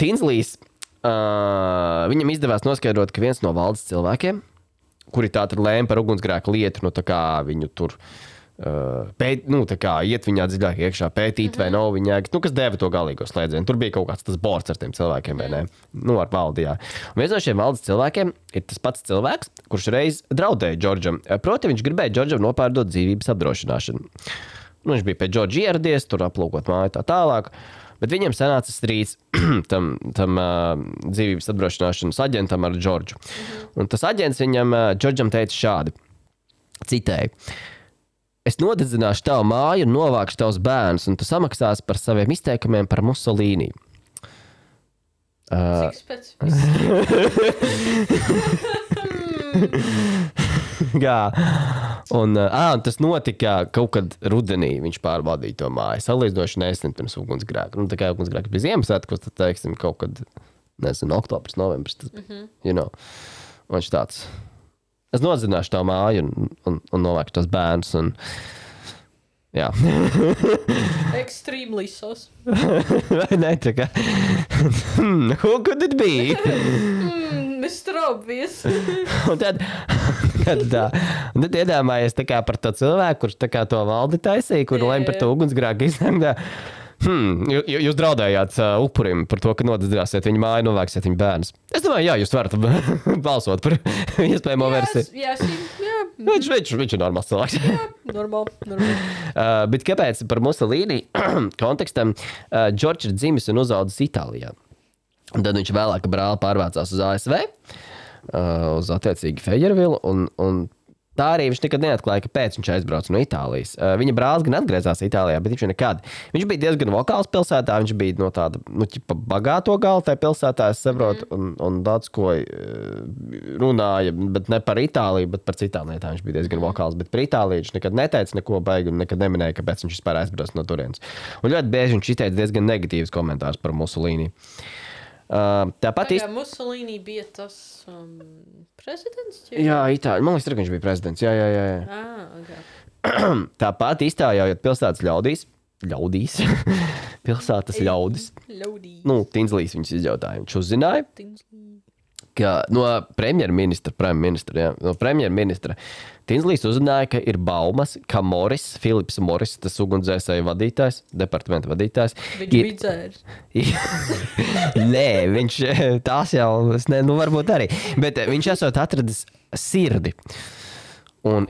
Tinslijs, viņam izdevās noskaidrot, ka viens no valdes cilvēkiem, kuri tātad lēma par ugunsgrēku lietu, tā kā viņu tur tā kā iet viņā dziļāk iekšā, pētīt vai nav viņā, kas deva to galīgo slēdzienu. Tur bija kaut kāds tas bords ar tiem cilvēkiem, vai ne? Ar valdi, jā. Un viens no šiem valdes cilvēkiem ir tas pats cilvēks, kurš reiz draudēja Džordžam. Proti, viņš gribēja Džordžam nopārdot dzīvības apdrošināšanu. Viņš bija pie Džordža ieradies, tur aplūkot māju tā tālāk, bet viņam sanāca strīds tam dzīvības apdrošināšanas aģentam ar Džordžu. Un tas aģents viņam, Džordžam teica šādi, citēju, es nodedzināšu tavu māju un novākšu tavus bērnus, un tu samaksāsi par saviem izteikumiem par Musolīni. Cik specifiski? Un tas notika kaut kad rudenī, viņš pārbaudīja to māju. Salīdzinoši nesen pirms ugunsgrēka. Tā kā ugunsgrēka bija Ziemassvētkos, tad teiksim kaut kad, oktobris, novembris. Un viņš tāds, es nodzināšu tā māju un novākšu tos bērnus. Jā. Extremely sus. Vai ne, tā kā, who could it be? Mr. Obvious. un tad iedomājies tā kā par to cilvēku, kurš tā kā to valdi taisīja, kur lēma par to ugunsgrēku iznākt. Jūs draudējāt upurim par to, ka nodedzināsiet viņu māju, novāksiet viņu bērnus. Es domāju, jā, jūs varat balsot par iespējamo versiju. Jā. Viņš ir normāls cilvēks. Jā, normāli. Bet kāpēc par Musolīni kontekstam Džordžs ir dzimis un uzaudzis Itālijā? Un tad viņš vēlāk brāli pārvācās uz ASV, uz attiecīgi Feiervilu, un tā arī viņš nekad neatklāja, kāpēc viņš aizbrauca no Itālijas. Viņa brālis gan atgriezās Itālijā, bet viņš nekad. Viņš bija diezgan vokāls pilsētā, viņš bija no tāda, bagāto galu tajā pilsētā, es saprotu, un daudz ko runāja, bet ne par Itāliju, bet par citām lietām viņš bija diezgan vokāls. Bet par Itāliju viņš nekad neteica neko baigi un nekad neminēja, kāpēc viņš vispār aizbrauca no turienes. Un ļoti bieži viņš izteica diezgan negatīvas komentārus par Musolīni. Tāpat Musolīni bija tas prezidents? Jā, Itāļi. Man liekas, ka viņš bija prezidents. Jā. Okay. Tāpat iztaujājot pilsētas ļaudīs. Pilsētas ļaudis. Tinslīs viņus izjautāja. Viņš uzzināja, ka no premjerministra Tinslīs uzzināja, ka ir baumas, ka Filips Moris, tas ugunsdzēsēju vadītājs, departamenta vadītājs. Viņš bija dzērs. Nē, viņš tās jau, varbūt arī. Bet viņš esot atradis sirdi. Un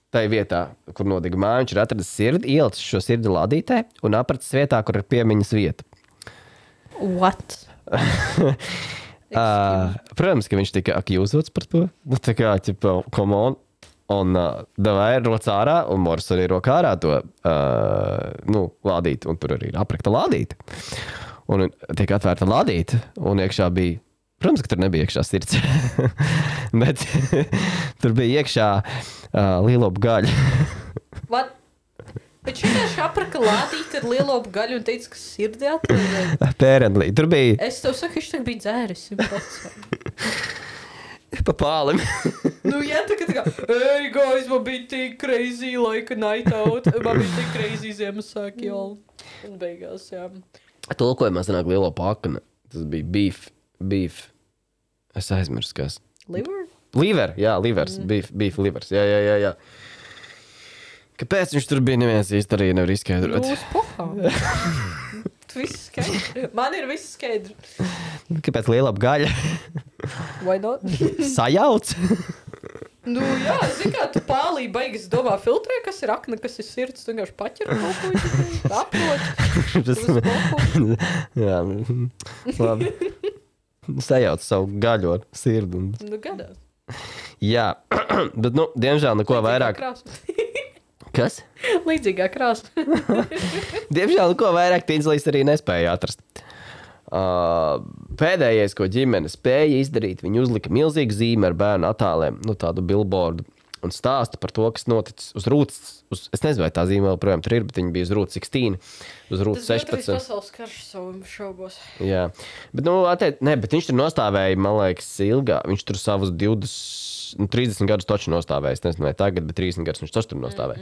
tai vietā, kur nodega māja, viņš ir atradis sirdi, ielicis šo sirdi lādītē un apracis vietā, kur ir piemiņas vieta. What? Protams, ka viņš tika akjūzots par to. Tā kā, come on. Un davai roc ārā, un Moris arī roka ārā to lādīt. Un tur arī ir aprakta lādīta. Un tiek atvērta lādīta, un iekšā bija, protams, ka tur nebija iekšā sirds. Bet tur bija iekšā lielopu gaļa. What? Bet vienkārši apraka lādīt ar lielopu gaļu un teica, ka sirdi atliek. Apparently. Tur bija... Es tev saku, viņš tagad bija dzēris 100%. Pa pālim. Tā kā, hey guys, man bija tik crazy like a night out. Man bija tik crazy Ziemassvētki, un beigās, jā. Tulkojumā sanāk lielopu akna. Tas bija beef. Es aizmirsu, kas. Liver? Liver, jā, livers. Beef livers, jā. Kāpēc viņš tur bija, neviens īsti arī nevar izskaidrot? Uz pohām. Viss skaidri. Man ir viss skaidri. Kāpēc lielapa gaļa? Why not? Sajauc? Jā, kā tu pālī beigas domā filtrē, kas ir akna, kas ir sirds, tu vienkārši paķer kaut ko, aprot. Jā, labi. sajauc savu gaļo sirdi. Nu, gadās. Jā, bet, diemžēl neko vairāk. Kas? Līdzīgā krāsa. Diemžēl neko vairāk Tinslīs arī nespēja atrast. Pēdējais, ko ģimene spēja izdarīt, viņi uzlika milzīgu zīmi ar bērnu attēliem, tādu billboardu, un stāsta par to, kas noticis uz rūtas. Es nezinu, vai tā zīme vēl projām tur ir, bet viņi bija uz rūtas 16, uz rūtas 16. Tas bija pasaules karš saviem šaubos. Jā, bet, bet viņš tur nostāvēja, man liekas, ilgā. Viņš tur savus 30 gadus toči nostāvēja. Es nezinu, vai tagad, bet 30 gadus viņš tur nostāvēja.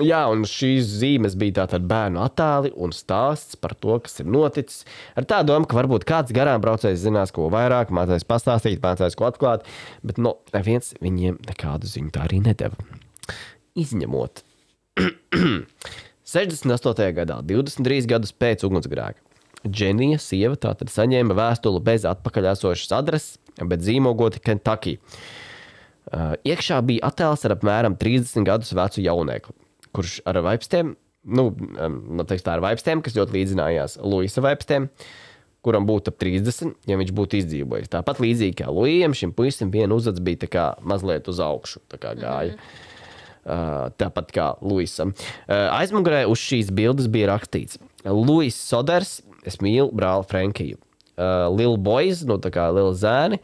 Jā, un šīs zīmes bija tātad bērnu attēli un stāsts par to, kas ir noticis. Ar tā domu, ka varbūt kāds garām braucējs zinās, ko vairāk, mācās pastāstīt, mācās ko atklāt, bet neviens viņiem nekādu ziņu tā arī nedeva. Izņemot 68. gadā, 23 gadus pēc ugunsgrēka, Dženija sieva tātad saņēma vēstuli bez atpakaļesošas adreses, bet zīmogoti Kentucky. Iekšā bija attēls ar apmēram 30 gadus vecu jauniekli, kurš ar vaipstiem, ar vaipstiem, kas ļoti līdzinājās Luisa vaipstiem, kuram būtu ap 30, ja viņš būtu izdzīvojis. Tāpat līdzīgi kā Luijam, šim puisim viena uzads bija tā kā mazliet uz augšu, tā kā gāja. Tāpat kā Luisam. Aizmugurē uz šīs bildes bija rakstīts: Luis Soders, es mīlu brāli Frankiju. Lil Boys, tā kā Lil Zēni,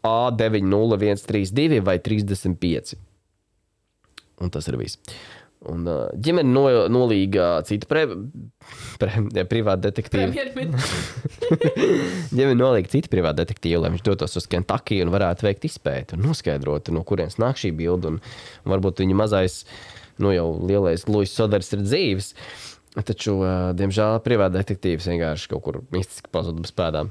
A90132 vai 35. Un tas ir viss. Un ģimene nolīga citu privātu detektīvu. Ģimene nolīga citu privātu detektīvu, lai viņš dotos uz Kentucky un varētu veikt izpēti un noskaidrot, no kurienes nāk šī bilde. Un varbūt viņa mazais, jau lielais Luis Soders ir dzīves. Taču, diemžēl, privāta detektīvs vienkārši kaut kur mistiski pazuda bez pēdām.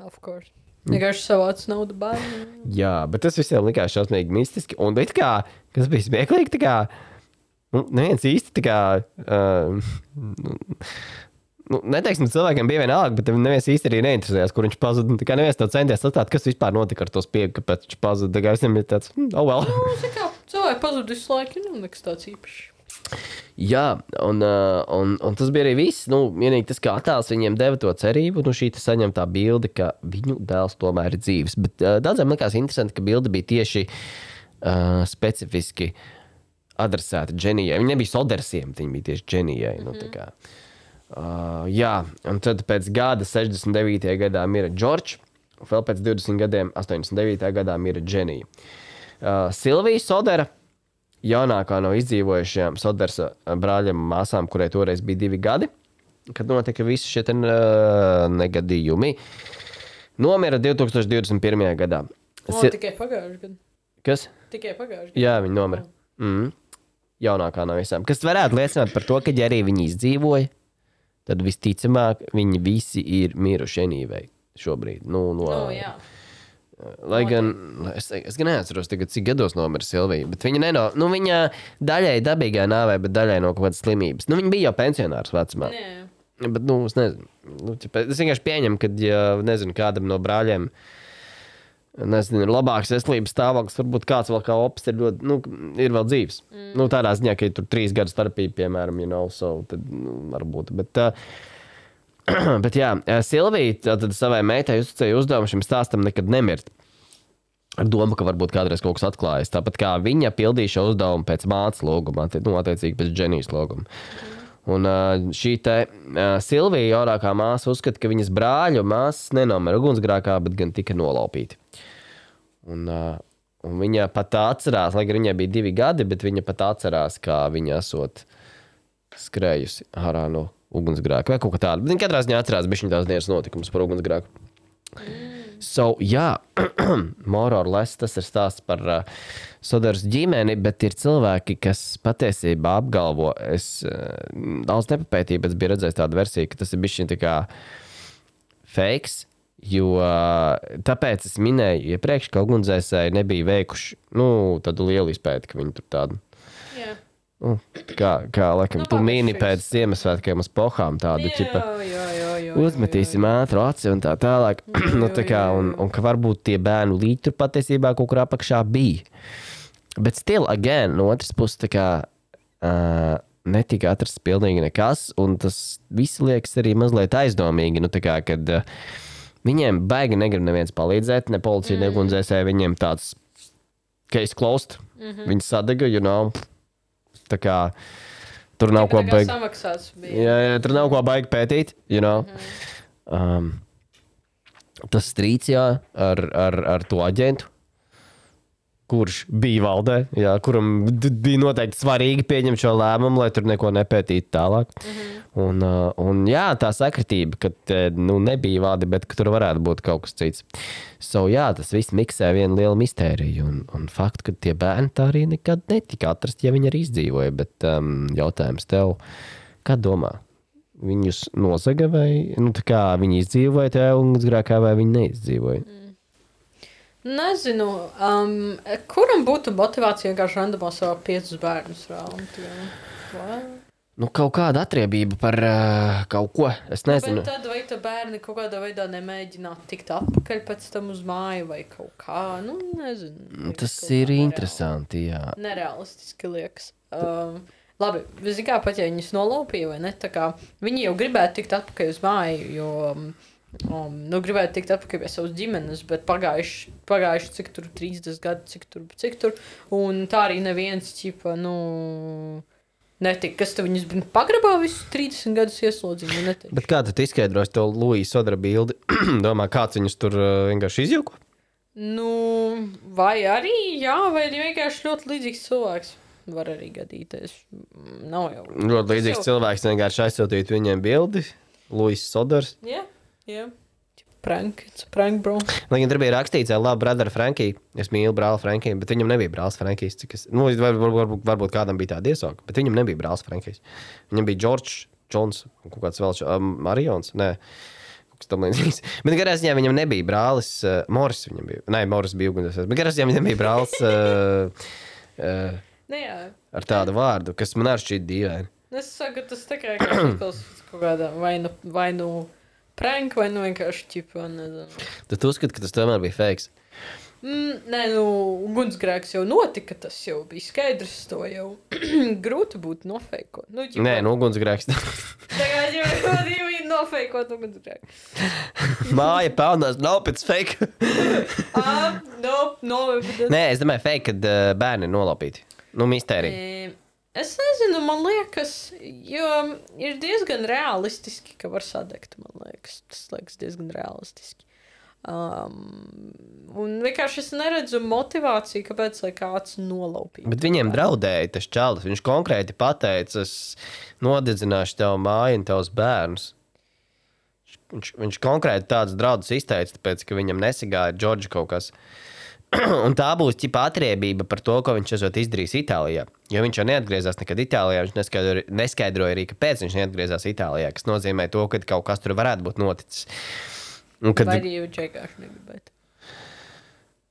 Of course. Vienkārši savāc naudu bērnu. Jā, bet tas visiem likās šausmīgi mistiski. Un it kā, kas bija smieklīgi, tā kā, neviens īsti tā kā, neteiksim, cilvēkiem bija vienalga, bet neviens īsti arī neinteresējās, kur viņš pazuda. Tā kā neviens tev centies atstāt, kas vispār notika ar to spiegu, kāpēc viņš pazuda. Tā kā visiem ir tāds, well. Cilvēki pazuda visu laiku, nekas tāds īpašs. Jā, un tas bija arī viss. Vienīgi tas, kā attēls viņiem deva to cerību, šī saņemtā bilde, ka viņu dēls tomēr ir dzīves. Bet daudziem likās interesanti, ka bilde bija tieši specifiski adresēta Dženijai. Viņi nebija Sodersiem, viņi bija tieši Dženijai. Jā, un tad pēc gada 69. gadā mira Džordžs, vēl pēc 20 gadiem 89. gadā mira Dženija. Silvija Sodera, jaunākā no izdzīvojušajām Sodersa brāļiem māsām, kurai toreiz bija 2 gadi, kad notika visi šie negadījumi, nomira 2021. gadā. Tikai pagājuši gadu. Kas? Tikai pagājuši gadu. Jā, viņi nomira. Jaunākā no visām. Kas varētu liecināt par to, ka ja arī viņi izdzīvoja, tad visticamāk viņi visi ir miruši enīvei šobrīd. Jā. Lai gan es gan neatceros tagad, cik gados nomira Silvija, bet viņa viņa daļai dabīgā nāvē, bet daļai no kaut kādas slimības. Viņa bija jau pensionārs vecumā. Bet, es nezinu. Es vienkārši pieņemu, ka, ja nezinu, kādam no brāļiem ir labāks veselības stāvoklis, varbūt kāds vēl kā opis ir ļoti, ir vēl dzīves. Tādā ziņā, ka ir tur 3 gadu starpība, piemēram, tad varbūt, bet jā, Silvija tad savai meitai uzticēja uzdevumu šim stāstam nekad nemirt. Ar domu, ka varbūt kādreiz kaut kas atklājas. Tāpat kā viņa pildīja šo uzdevumu pēc mātes lūguma, attiecīgi pēc Dženijas lūguma. Un šī Silvija, jaunākā māsa, uzskata, ka viņas brāļu māsas nenomira ugunsgrēkā, bet gan tika nolaupīti. Un viņa pat atcerās, lai gan viņai bija 2 gadi, bet viņa pat atcerās, kā viņa esot skrējusi ārā no ugunsgrēku vai kaut kā tāda. Bet viņi katrā ziņā atcerās bišķiņ tās dienas notikumus par ugunsgrēku. Jā, more or less tas ir stāsts par Soders ģimeni, bet ir cilvēki, kas patiesībā apgalvo, es daudz nepapētīju, bet biju redzējis tādu versiju, ka tas ir bišķiņ tā kā fakes, jo tāpēc es minēju iepriekš, ka ugunsdzēsēji nebija veikuši, tādu lielu izpēti, ka viņi tur tādu. Kā laikam, tu mīni pēc Ziemassvētkiem uz pohām tādu, uzmetīsim ātru aci un tā tālāk. Un ka varbūt tie bērnu līķi tur patiesībā kaut kur apakšā bija. Bet still, again, no otras puses, netika atrasts pilnīgi nekas, un tas viss liekas arī mazliet aizdomīgi, nu tā kā, kad viņiem baigi negrib neviens palīdzēt, ne policija, ne ugunsdzēsēji, viņiem tāds case closed, viņi sadega, tā kā tur nav ko baigi. Samaksāts bija. Jā, tur nav ko baigi pētīt, Tas strīds, ar to aģentu, kurš bija valdē, kuram bija noteikti svarīgi pieņemt šo lēmumu, lai tur neko nepētītu tālāk. Un tā sakritība, ka nebija vādi, bet ka tur varētu būt kaut kas cits. Tas viss miksē vienu lielu mistēriju. Un faktu, ka tie bērni tā arī nekad netika atrast, ja viņi arī izdzīvoja. Bet jautājums tev, kā domā? Viņus nozaga vai tā kā viņi izdzīvoja tajā ugunsgrēkā vai viņi neizdzīvoja? Nezinu, kuram būtu motivācija vienkārši randomā savā 5 bērnus raunt? Kaut kāda atriebība par kaut ko, es nezinu. Bet tad vai tā bērni kaut kādā veidā nemēģināt tikt atpakaļ pēc tam uz māju vai kaut kā, nezinu. Tas ir interesanti, jā. Nerealistiski liekas. Labi, zin kā pat, ja viņus nolaupīja vai ne, tā kā viņi jau gribētu tikt atpakaļ uz māju, jo gribētu tikt atpakaļ pie savas ģimenes, bet pagājuši cik tur 30 gadi, cik tur, un tā arī neviens, netika, kas tu viņus pagrabā visus 30 gadus ieslodzīja, netika. Bet kā tu izskaidrosi to Luija Sodera bildi? Domā, kāds viņus tur vienkārši izjauko? Vai arī, vai arī vienkārši ļoti līdzīgs cilvēks. Var arī gadīties. Nav jau. Ļoti līdzīgs cilvēks vienkārši aizsūtīt viņiem bildi. Luis Soders. Jā. Prank, bro. Lai gan tur bija rakstīts, labi, brother Frankie. Es mīlu brāli Frankiju, bet viņam nebija brālis Frankijs. Varbūt kādam bija tāda iesauka, bet viņam nebija brālis Frankijs. Viņam bija George Jones, kaut kāds vēl Marions. Nē. Bet garā ziņā viņam nebija brālis Moris. Viņam bija. Nē, Moris bija ugunsdzēsējs. Bet garā ziņā viņam bija brālis ar tādu vārdu, kas man arī šķiet dīvaini. Es saku, tas tā kā kaut kādā vai nu prank, vai nu vienkārši ķipa, nezinu. Tu uzskati, ka tas tomēr bija fakes? Nē, ugunsgrēks jau notika, tas jau bija skaidrs, to jau grūti būtu nofeikot. Nē, ugunsgrēks. Tagad jau bija nofeikot ugunsgrēku. Māja pelnās, nav pēc fake. Nē, es domāju fake, kad bērni nolaupīti. Mistērija. Es nezinu, man liekas, jo ir diezgan realistiski, ka var sadegt, man liekas. Tas liekas diezgan realistiski. Un vienkārši es neredzu motivāciju, kāpēc lai kāds nolaupītu. Bet viņiem draudēja tas čalis. Viņš konkrēti pateica, es nodedzināšu tev māju un tavus bērnus. Viņš konkrēti tādus draudus izteica, tāpēc, ka viņam nesagāja Džordža kaut kas. Un tā būs ķipa atriebība par to, ko viņš esot izdarījis Itālijā. Jo viņš jau neatgriezās nekad Itālijā, viņš neskaidroja arī, kāpēc viņš neatgriezās Itālijā, kas nozīmē to, ka kaut kas tur varētu būt noticis. Vai arī viņš vienkārši negribētu?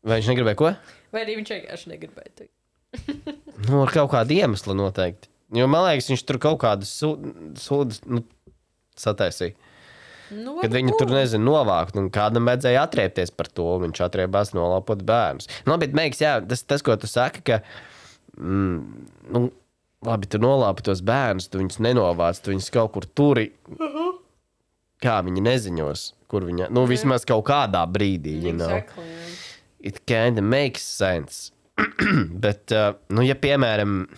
Vai viņš negribēja ko? Vai arī viņš vienkārši negribētu? Ar kaut kādu iemeslu noteikti. Jo man liekas, viņš tur kaut kādus sūdus sataisīja. Kad viņi tur, nezinu, novākt, un kādam vajadzēja atriepties par to, viņš atriebās nolaupot bērnus. Bet meiks, tas, ko tu saki, ka, labi, tu nolaupi tos bērnus, tu viņus nenovāc, tu viņus kaut kur turi, kā viņi neziņos, kur viņa, vismaz kaut kādā brīdī, Exactly. It kinda makes sense. Bet, ja piemēram,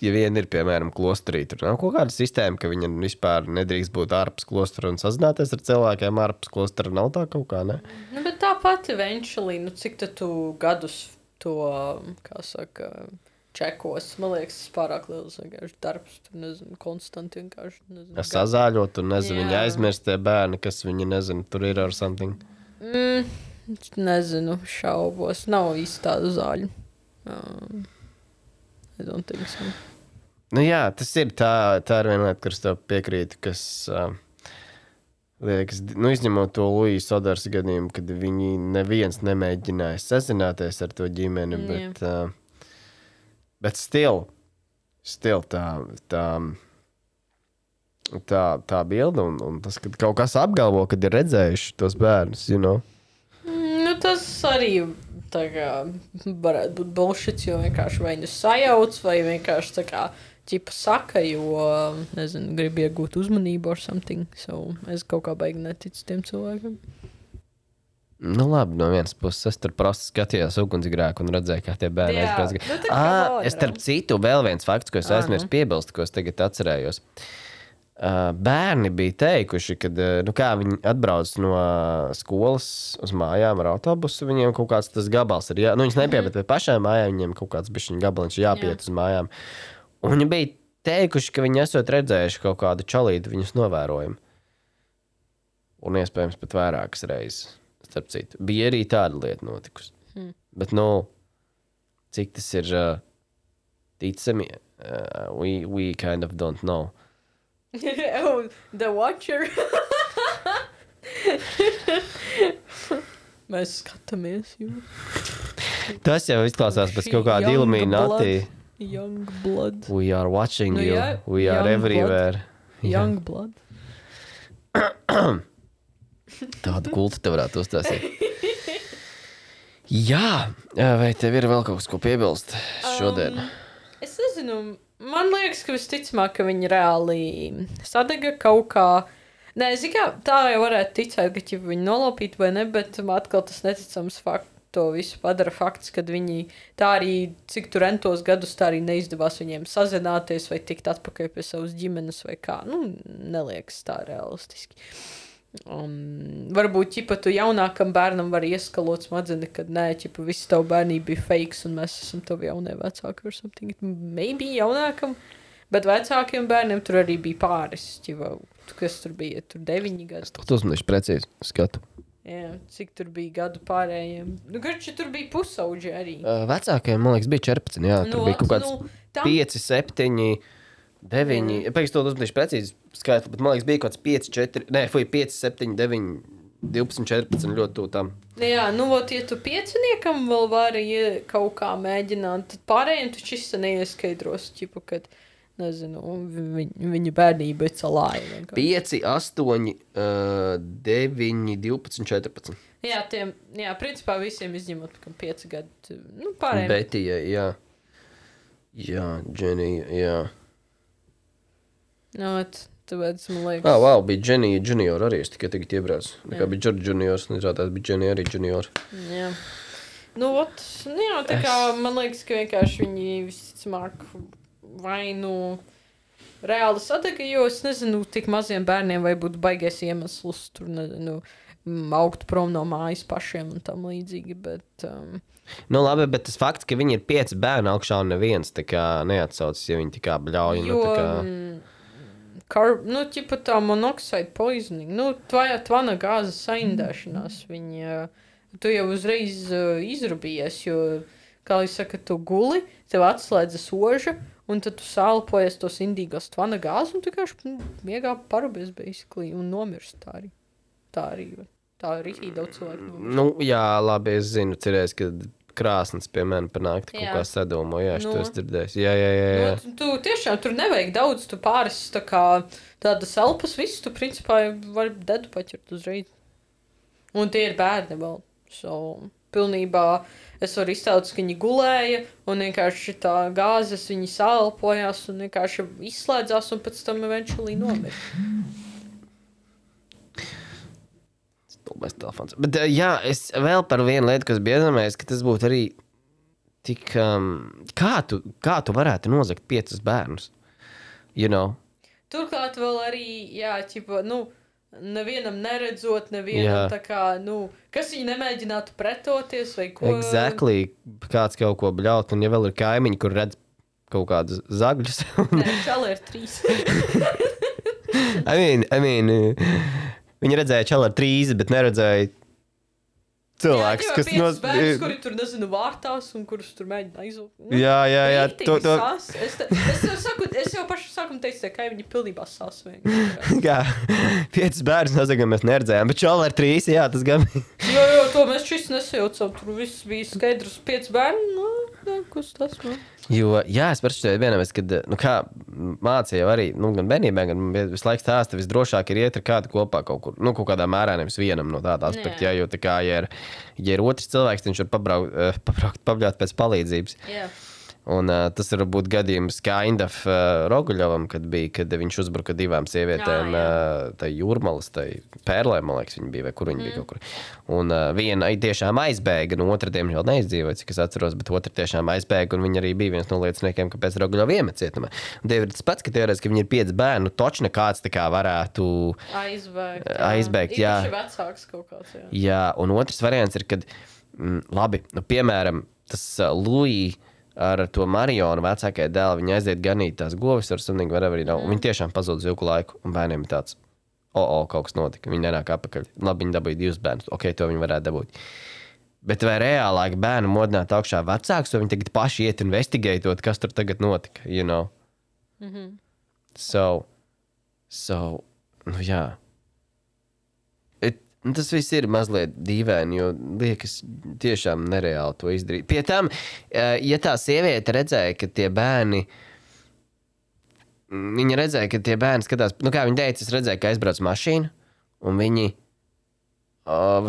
ja viena ir, piemēram, klosterī, tur nav kaut kāda sistēma, ka viņa vispār nedrīkst būt ārpus klostera un sazināties ar cilvēkiem ārpus klostera, nav tā kaut kā, ne? Bet tā pati eventually, cik tu gadus to, kā saka, čekos, man liekas, tas pārāk liels vienkārši darbs, tur, nezinu, konstanti vienkārši, nezinu. Sazāļot, un nezinu, viņi aizmirst tie bērni, kas viņi, nezinu, tur ir ar something. Nezinu, šaubos, nav īsti tādu zāļu. I don't think so. Jā, tas ir tā ir viena lieta, kuras tev piekrītu, kas liekas, izņemot to Luija Soders gadījumu, kad viņi neviens nemēģināja sazināties ar to ģimeni, bet still tā bilde un tas, kad kaut kas apgalvo, kad ir redzējuši tos bērnus, Tas arī tā kā varētu būt bullshits, jo vienkārši vai sajauc, vai vienkārši tā kā ķipa saka, jo, nezinu, grib iegūt uzmanību or something. So, es kaut kā baigi neticu tiem cilvēkiem. Nu, labi, no vienas puses es tur prosti skatījos ugunsgrēku un redzēju, kā tie bērni aizbrauc. Es starp citu vēl viens fakts, ko es aizmirsu piebilst, ko es tagad atcerējos. Bērni bija teikuši, ka kā viņi atbrauc no skolas uz mājām ar autobusu, viņiem kaut kāds tas gabals ir. Viņus nepie, bet pie pašām mājām viņiem kaut kāds bišķiņ gabaliņš jāpiet uz mājām. Un viņi bija teikuši, ka viņi esot redzējuši kaut kādu čalīdu viņus novērojumu. Un iespējams pat vairākas reizes. Starp citu. Bija arī tāda lieta notikusi. Bet, cik tas ir ticami, we kind of don't know. Oh, the Watcher. Mēs skatāmies jūs. Tas jau izklausās pēc kaut kāda Illuminati. Young blood. We are watching you. We are everywhere. Young blood. Tādu kultu te varētu uztaisīt. Jā, vai tev ir vēl kaut kas, ko piebilst šodien? Es nezinu, man liekas, ka visticamāk, ka viņi reāli sadega kaut kā. Nē, tā jau varētu ticēt, ka viņi nolaupīt vai ne, bet atkal tas neticams fakts. To visu padara fakts, kad viņi tā arī, cik tur entos gadus, tā arī neizdevās viņiem sazināties vai tikt atpakaļ pie savas ģimenes vai kā. Neliekas tā realistiski. Varbūt, ķipa, tu jaunākam bērnam var ieskalot smadzni, kad nē, ķipa, visi tavu bērnību bija fakes un mēs esam tavi jaunie vecāki or something. Maybe jaunākam, bet vecākiem bērniem tur arī bija pāris, ķipa, kas tur bija, tur 9 gadi. Es to uzmanīšu precīzi skatu. Jā, cik tur bija gadu pārējiem. Garši tur bija pusauģi arī. Vecākajiem, man liekas, bija 14, jā. Tur bija kaut kāds 5, 7, 9. Pēc to uzmanīšu precīzi skaitli, bet man liekas, bija kaut kāds 5, 4, 5, 7, 9, 12, 14 ļoti tū tam. Jā, ja tu 5-niekam vēl vari kaut kā mēģināt, tad pārējiem tu šis neieskaidros, ķipu, kad... Nezinu, viņa bērnība ir calāja. 5, 8, 9, 12, 14. Jā, principā visiem izņemot, ka 5 gadu, pārējiem. Betija, jā. Jā, Dženija, jā. Tāpēc, man liekas... Wow, bija Dženija junior arī, es tikai tagad iebraucu. Nekā bija George juniors, nezrādās bija Dženija arī junior. Jā. Tā kā man liekas, ka vienkārši viņi visticamāk... vai reāli sadega, jo es nezinu, tik maziem bērniem vai būtu baigais iemesls tur, nezinu, augt prom no mājas pašiem un tam līdzīgi, bet... labi, bet tas fakts, ka viņi ir 5 bērni augšā un neviens, tā kā neatsaucas, ja viņi tā kā bļauj. Ķipa tā monoxide poisoning, tvana gāzes saindēšanās, tu jau uzreiz izrubījies, jo, kā es saka, tu guli, tev atslēdza soža, un tad tu sālpojies tos indīgos tvana gāzi, un tu vienkārši miegā parubies, basically, un nomirst tā arī. Tā arī daudz cilvēku. Jā, labi, es zinu, cerēs, ka krāsnes pie mani panākt kaut kā sadomo, jā, es to es dzirdēs. Jā. Tu tiešām tur nevajag daudz, tu pāris tā kā tādas elpas, visu tu principā vari dedu paķert uzreiz. Un tie ir bērni vēl. Pilnībā es varu iztēlot, ka viņi gulēja un vienkārši tā gāzes viņi sālpojās un vienkārši izslēdzās un pēc tam eventually nomira. Stulbais telefons. Bet jā, es vēl par vienu lietu, kas bija iedomājies, ka tas būtu arī tik... Kā tu varētu nozagt 5 bērnus? Turklāt vēl arī, nevienam neredzot, nevienam tā kā, kas viņi nemēģinātu pretoties vai ko. Exactly, kāds kaut ko bļaut, un ja vēl ir kaimiņi, kur redz kaut kādus zagļus. Nē, čali ir 3. I mean, viņi redzēja čali ar 3, bet neredzēja cilvēks, kas... 5 bērnus, kuri tur, nezinu, vārtās un kurus tur mēģina aizūt. Jā. Es jau pašu sākumu teicu, ka viņi pilnībā sasvēng. Kā, 5 bērnus nozagam mēs neredzējām, bet čali ar 3, jā, tas gan... Jo, to mēs šis nesajaucam, tur viss bija skaidrs 5 bērni, kas tas, Jo, jā, es parasti vienamēr, kad, kā mācīju arī, gan bērnībā, gan visu laiku stāsta, visdrošāk ir iet ar kādu kopā kaut kur, kaut kādā mērā nevis vienam no tāda aspekta, jo tā kā, ja ir otrs cilvēks, viņš var pabļaut pēc palīdzības. Jā. Un tas ir varbūt gadījums kind of Roguļovam, kad viņš uzbruka divām sievietēm, tai Jūrmalas, tai Pērlē, man liekas, viņa bija, vai kur viņa bija kaut kur. Un viena tiešām aizbēga, un otra diemžēl neizdzīvoja, cik es atceros, bet otra tiešām aizbēga, un viņa arī bija viens no lieciniekiem, kāpēc Roguļova iemet cietumā. Un tie ir tas pats, ka teorētiski, ka viņi ir 5 bērni, točne kāds tā kā varētu aizbēgt, jā. Īpaši vecāks kaut kāds, jā. Jā, un otrs variants ir, kad, labi, piemēram, tas Louis ar to Marionu vecākajai dēlu, viņa aiziet ganīt tās govis ar sunīgi, whatever, un viņi tiešām pazūd uz ilgu laiku, un bērniem ir tāds, kaut kas notika, viņi nenāk apakaļ, labi, viņi dabūja 2 bērnus, to viņi varētu dabūt. Bet vai reālāk bērnu modināt augšā vecāks, vai viņi tagad paši iet investigētot, kas tur tagad notika, you know? So, jā. Tas viss ir mazliet dīvaini, jo liekas tiešām nereāli to izdarīt. Pie tam, ja tā sieviete redzēja, ka tie bērni, viņa redzēja, ka tie bērni skatās, kā viņa teica, es redzēju, ka aizbrauc mašīna, un viņi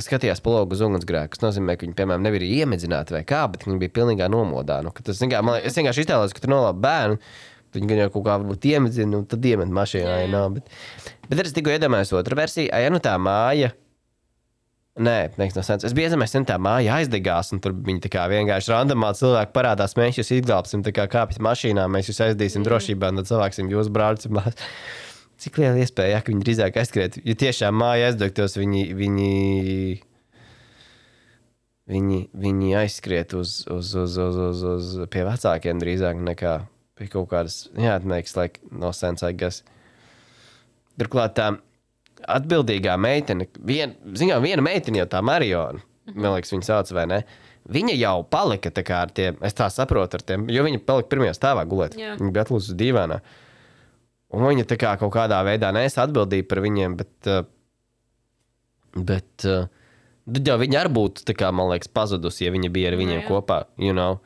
skatījās pa logu uz ugunsgrēku. Tas nozīmē, ka viņi, piemēram, nebija iemedzināti vai kā, bet viņi bija pilnīgā nomodā. Es vienkārši iztēlos, ka tu nolāp bērnu, viņi gan jau kaut kā varbūt iemedzina, un tad iemet mašīnā. Jā. Bet es tikko iedomājos otru versiju, tā māja, nē, neiks no sens. Es biju iedomājies, tā māja aizdegās, un tur viņi tā kā vienkārši randomā cilvēki parādās, mēs jūs izglābsim, tā kā kāpjas mašīnā, mēs jūs aizdīsim drošībā, un tad cilvēksim jūs brāļus un māsas. Cik liela iespēja, ka viņi drīzāk aizskriet, jo tiešām māja aizdegtos, viņi aizskriet uz pie vecākiem drīzāk nekā pie kaut kādas, makes like no sense, I guess. Turklāt tā atbildīgā meitene, viena meitene jau tā Mariona, man liekas, viņa sauc vai ne, viņa jau palika tā kā ar tiem, es tā saprotu ar tiem, jo viņa palika pirmajā stāvā gulēt. Jā. Viņa bija atlūdzu uz dīvānā. Un viņa tā kā kaut kādā veidā nes atbildīja par viņiem, bet tad jau viņa arī būtu, tā kā, man liekas, pazudusi, ja viņa bija ar viņiem kopā, you know.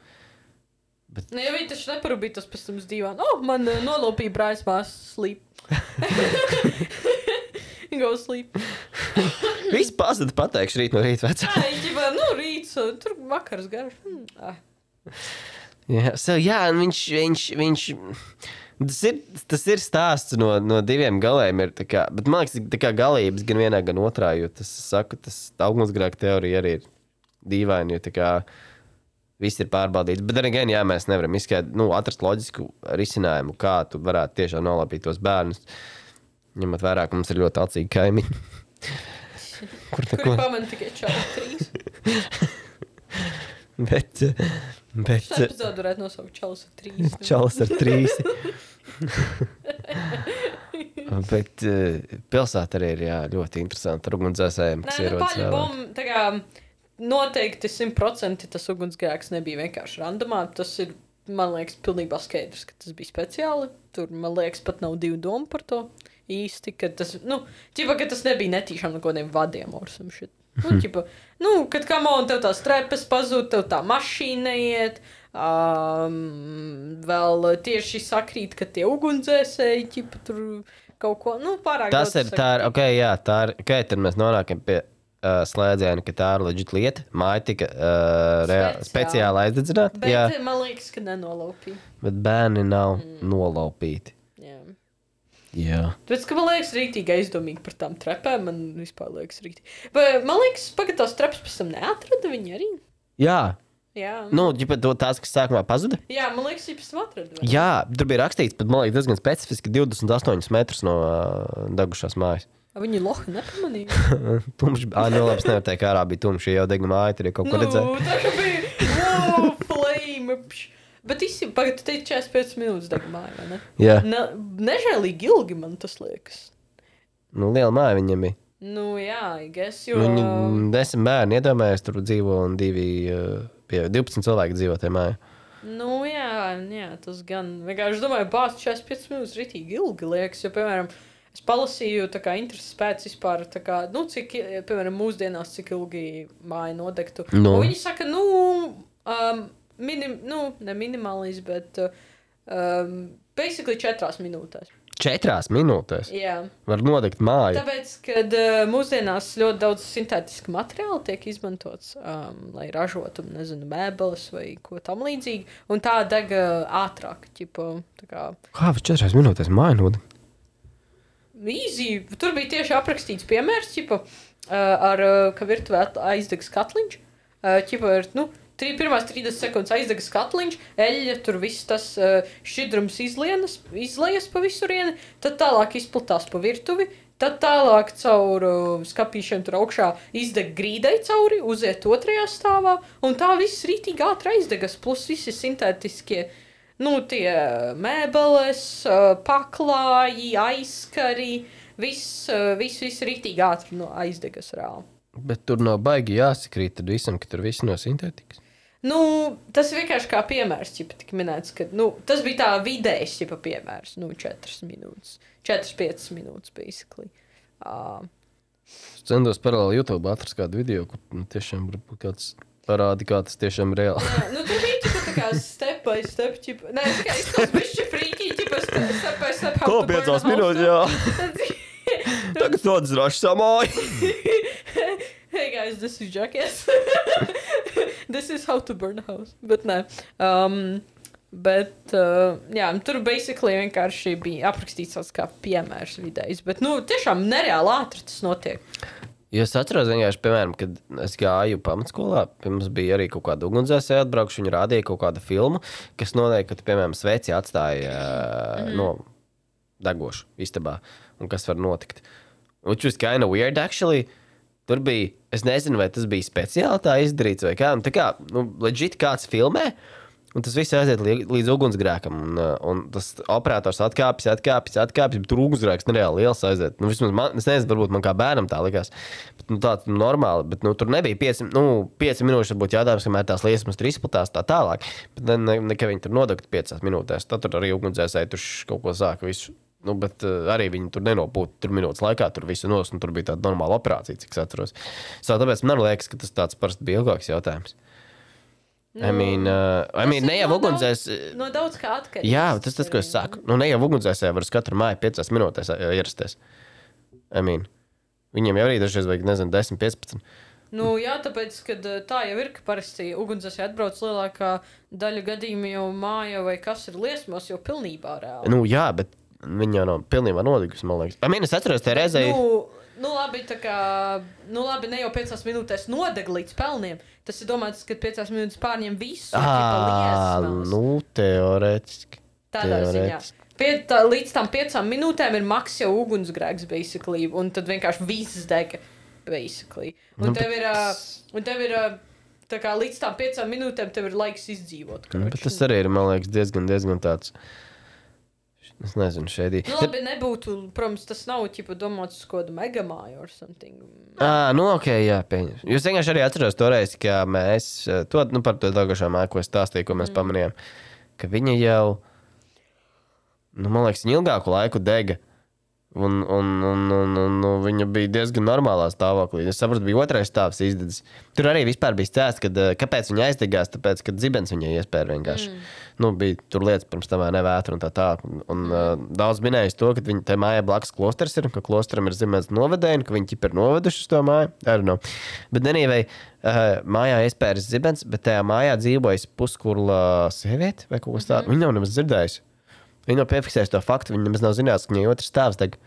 Bet... Ja viņi taču neparūbītos pēc tam uz dīvānu. Man nolaupīja brāļas māsas sleep. Go sleep. Viss pazuda pateikšu rīt no rīta vecā. Rīts, tur vakars garš. Jā, un viņš tas ir stāsts no 2 galiem, ir tā kā, bet man liekas, tā kā galības gan vienā, gan otrā, jo tas ugunsgrēka teorija arī ir dīvaini, jo tā kā viss ir pārbaudīts. Bet arī gan, mēs nevaram atrast loģisku risinājumu, kā tu varētu tiešām nolapīt tos bērnus. Ņemot vērā, ka mums ir ļoti acīgi kaimiņi. Kuri pamana tikai čalis 3. bet... Šā epizodu varētu nosaukt čalis ar 3. Čalis ar 3. Bet pilsēta arī ir ļoti interesanta ar ugunsdzēsējiem, kas ierodas vēlāk. Noteikti 100% tas ugunsgrēks nebija vienkārši randomā. Tas ir, man liekas, pilnībā skaidrs, ka tas bija speciāli. Tur, man liekas, pat nav 2 domu par to. Īsti, ka tas, ka tas nebija netīšām no kādiem vadiem or some shit. Kad tev tās trepas pazūd, tev tā mašīna neiet, vēl tieši sakrīt, ka tie ugunsdzēsēji, tur kaut ko, pārāk tas daudz. Tad mēs nonākam pie slēdziena, ka tā ir legit lieta, māja tika speciāli aizdedzināta. Bet man liekas, ka nenolaupīja. Bet bērni nav nolaupīti. Jā. Tāpēc, ka man liekas rītīgi aizdomīgi par tām trepēm, man vispār liekas rītīgi. Vai man liekas, tās trepas pēc tam neatrada viņi arī? Jā. Jā. Tās, kas sākumā pazuda? Jā, man liekas, viņi pēc tam atrada. Jā, tur bija rakstīts, pat man liekas diezgan specifiski 28 metrus no degušās mājas. Viņi lohi nepamanīja? Tumši, labs nevar teikt, ārā bija tumši, jau degna māja, tur kaut ko redzēja. Tā kā bija, flame, Bet īstenībā, tu teici 45 minūtes deg māja, vai ne? Jā. Nežēlīgi ilgi man tas liekas. Liela māja viņam bija. Jā, I guess, jo... Viņi 10 bērni iedomājas, tur dzīvo un 12 cilvēki dzīvo tajā mājā. Jā, tas gan... Vienkārši domāju, 45 minūtes ritīgi ilgi liekas, jo, piemēram, es palasīju tā kā intereses pēc vispār, tā kā, cik, piemēram, mūsdienās, cik ilgi māja nodegtu. Un viņi saka, ne minimālis, bet basically 4 minūtēs. 4 minūtēs? Jā. Var nodegt māju. Tāpēc, kad mūsdienās ļoti daudz sintētiska materiāla tiek izmantots, lai ražotu, nezinu, mēbeles vai ko tam līdzīgi, un tā deg ātrāk, ķipa, tā kā... Kā var 4 minūtēs māju nodegt? Easy. Tur bija tieši aprakstīts piemērs, ķipa, ka virtuvē aizdegs katliņš, ķipa, pirmās 30 sekundes aizdegas katliņš, eļļa, tur viss tas šķidrums izlejas pa visurieni, tad tālāk izplatās pa virtuvi, tad tālāk caur skapīšiem tur augšā izdeg grīdai cauri, uziet 2. stāvā, un tā viss rītīgi ātri aizdegas, plus visi sintētiskie, tie mēbeles, paklāji, aizskari, viss rītīgi ātri aizdegas reāli. Bet tur nav baigi jāsakrīt tad visam, ka tur viss no sintētikas. Tas vienkārši kā piemērs, tik minēts, ka, tas bija tā vidējs, piemērs, 4 minūtes, 4-5 minūtes, basically. Es centos paralēli YouTube atrast kādu video, kur tiešām varbūt kāds parādi, kā tas tiešām reāli. Jā, tur bija tā kā step by step, nē, tā kā izskatās bišķi frīkī, step by step. Ko 5 minūtes, jā. Tagad nodzraši samāju. Hey guys, this is Jackass. This is how to burn a house. Bet nē. Jā, tur basically vienkārši bija aprakstīts tāds kā piemērs vidējs. Bet, tiešām nereāli ātri tas notiek. Jo es atceros vienkārši, piemēram, kad es gāju pamatskolā, mums bija arī kaut kāda ugunsdzēsēja atbraukšu, viņi rādīja kaut kādu filmu, kas noteikti, ka, piemēram, sveci atstāja degošu istabā, un kas var notikt. Which was kind of weird, actually. Tur bija, es nezinu, vai tas bija speciāli tā izdarīts vai kā, un tā kā, legit kāds filmē, un tas viss aiziet līdz ugunsgrēkam, un tas operators atkāpjas, bet tur ugunsgrēks nereāli liels aiziet. Vismaz man, es nezinu, varbūt man kā bērnam tā likās, bet tā normāli, bet tur nebija 5 minūtes, varbūt jādājums, kamēr tās liesmas tur izplatās tā tālāk, bet nekā viņi tur nodegt 5 minūtēs, tad tur arī ugunsdzēsēji tur kaut ko sāka visu. Bet arī viņi tur nenopūta tur minūtes laikā, tur visu nos, un tur bija tāda normāla operācija, cik es atceros. Tāpēc man liekas, ka tas tāds parasti bija ilgāks jautājums. I mean, ne jau ugunsdzēs... No daudz kā atkarīgs. Jā, tas, ko es saku. Ne jau ugunsdzēsē var uz katru māju 5 minūtēs ierasties. I mean, viņiem jau arī dažreiz vajag, nezinu, 10-15. Jā, tāpēc, kad tā jau ir, ka parasti ugunsdzēsē atbrauc lielākā daļa gadījumu jau māja vai kas ir liesmos jau pilnībā reāli. Jā, bet viņa jau nav pilnībā nodigusi, man liekas. Es atceros, te reizē... Labi, tā kā... labi, ne jau 5 minūtēs nodeg līdz pelniem. Tas ir domāts, ka 5 minūtes pārņem visu. Teorētiski. Tādā ziņā. Līdz tam 5 minūtēm ir maks jau ugunsgrēks, basically. Un tad vienkārši viss dega, basically. Un tev ir... Tā kā līdz tam 5 minūtēm tev ir laiks izdzīvot. Bet tas arī ir, man liekas, diezgan tāds... Es nezinu, šeit. Labi, nebūtu, protams, tas nav domāts uz kādu megamāju or something. Ok, jā, pieņems. Jūs vienkārši arī atceros toreiz, ka mēs, par to daugašā māju, ko es stāstīju, ko mēs pamanījām, ka viņa jau, man liekas, viņa ilgāku laiku dega. Un viņa bija diezgan normālā stāvoklī. Es saprotu, bija 2. stāvs izdedzis. Tur arī vispār bija stāsts, kāpēc viņa aizdegās, tāpēc, ka dzibens viņai iespēja vienkārši. Bija tur lietas pirms tam nevētra un tā. Un daudz minējis to, ka viņa te mājā blakus klosters ir, ka klosteram ir zibens novedēji, un ka viņi ķip ir noveduši uz to māju. Bet anyway, mājā iespējas zibens, bet tajā mājā dzīvojas puskurla sieviete vai kaut kas tāds. Viņa nav nemaz dzirdējusi. Viņa nav piefiksējusi to faktu, viņa nemaz nav zinājis, ka viņai 2. stāvs deg.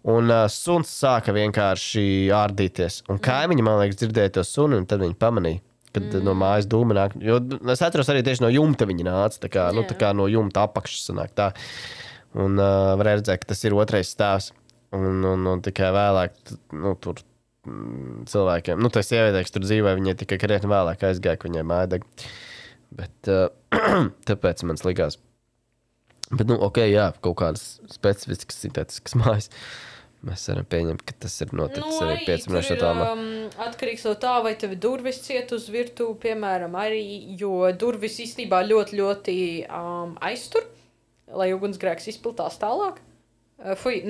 Un suns sāka vienkārši ārdīties. Un kaimiņi, man liekas, dzirdēja to suni, un tad viņi pamanīja, kad no mājas dūma nāk. Jo es atceros arī tieši no jumta viņa nāca, tā kā no jumta apakšas sanāk tā. Un varēja redzēt, ka tas ir 2. stāvs. Un tikai vēlāk, tur cilvēkiem, tā sievietē, kas tur dzīvoja, viņai tikai krietni vēlāk aizgāja, ka viņai māja deg. Bet tāpēc man likās. Bet, ok, jā, kaut kādas specifiskas sintētiskas mājas. Mēs varam pieņemt, ka tas ir noticis arī 5 minūšu attālumā. Atkarīgs no tā, vai tev durvis ciet uz virtuvi, piemēram, arī, jo durvis īstenībā ļoti aiztur, lai ugunsgrēks izplatās tālāk.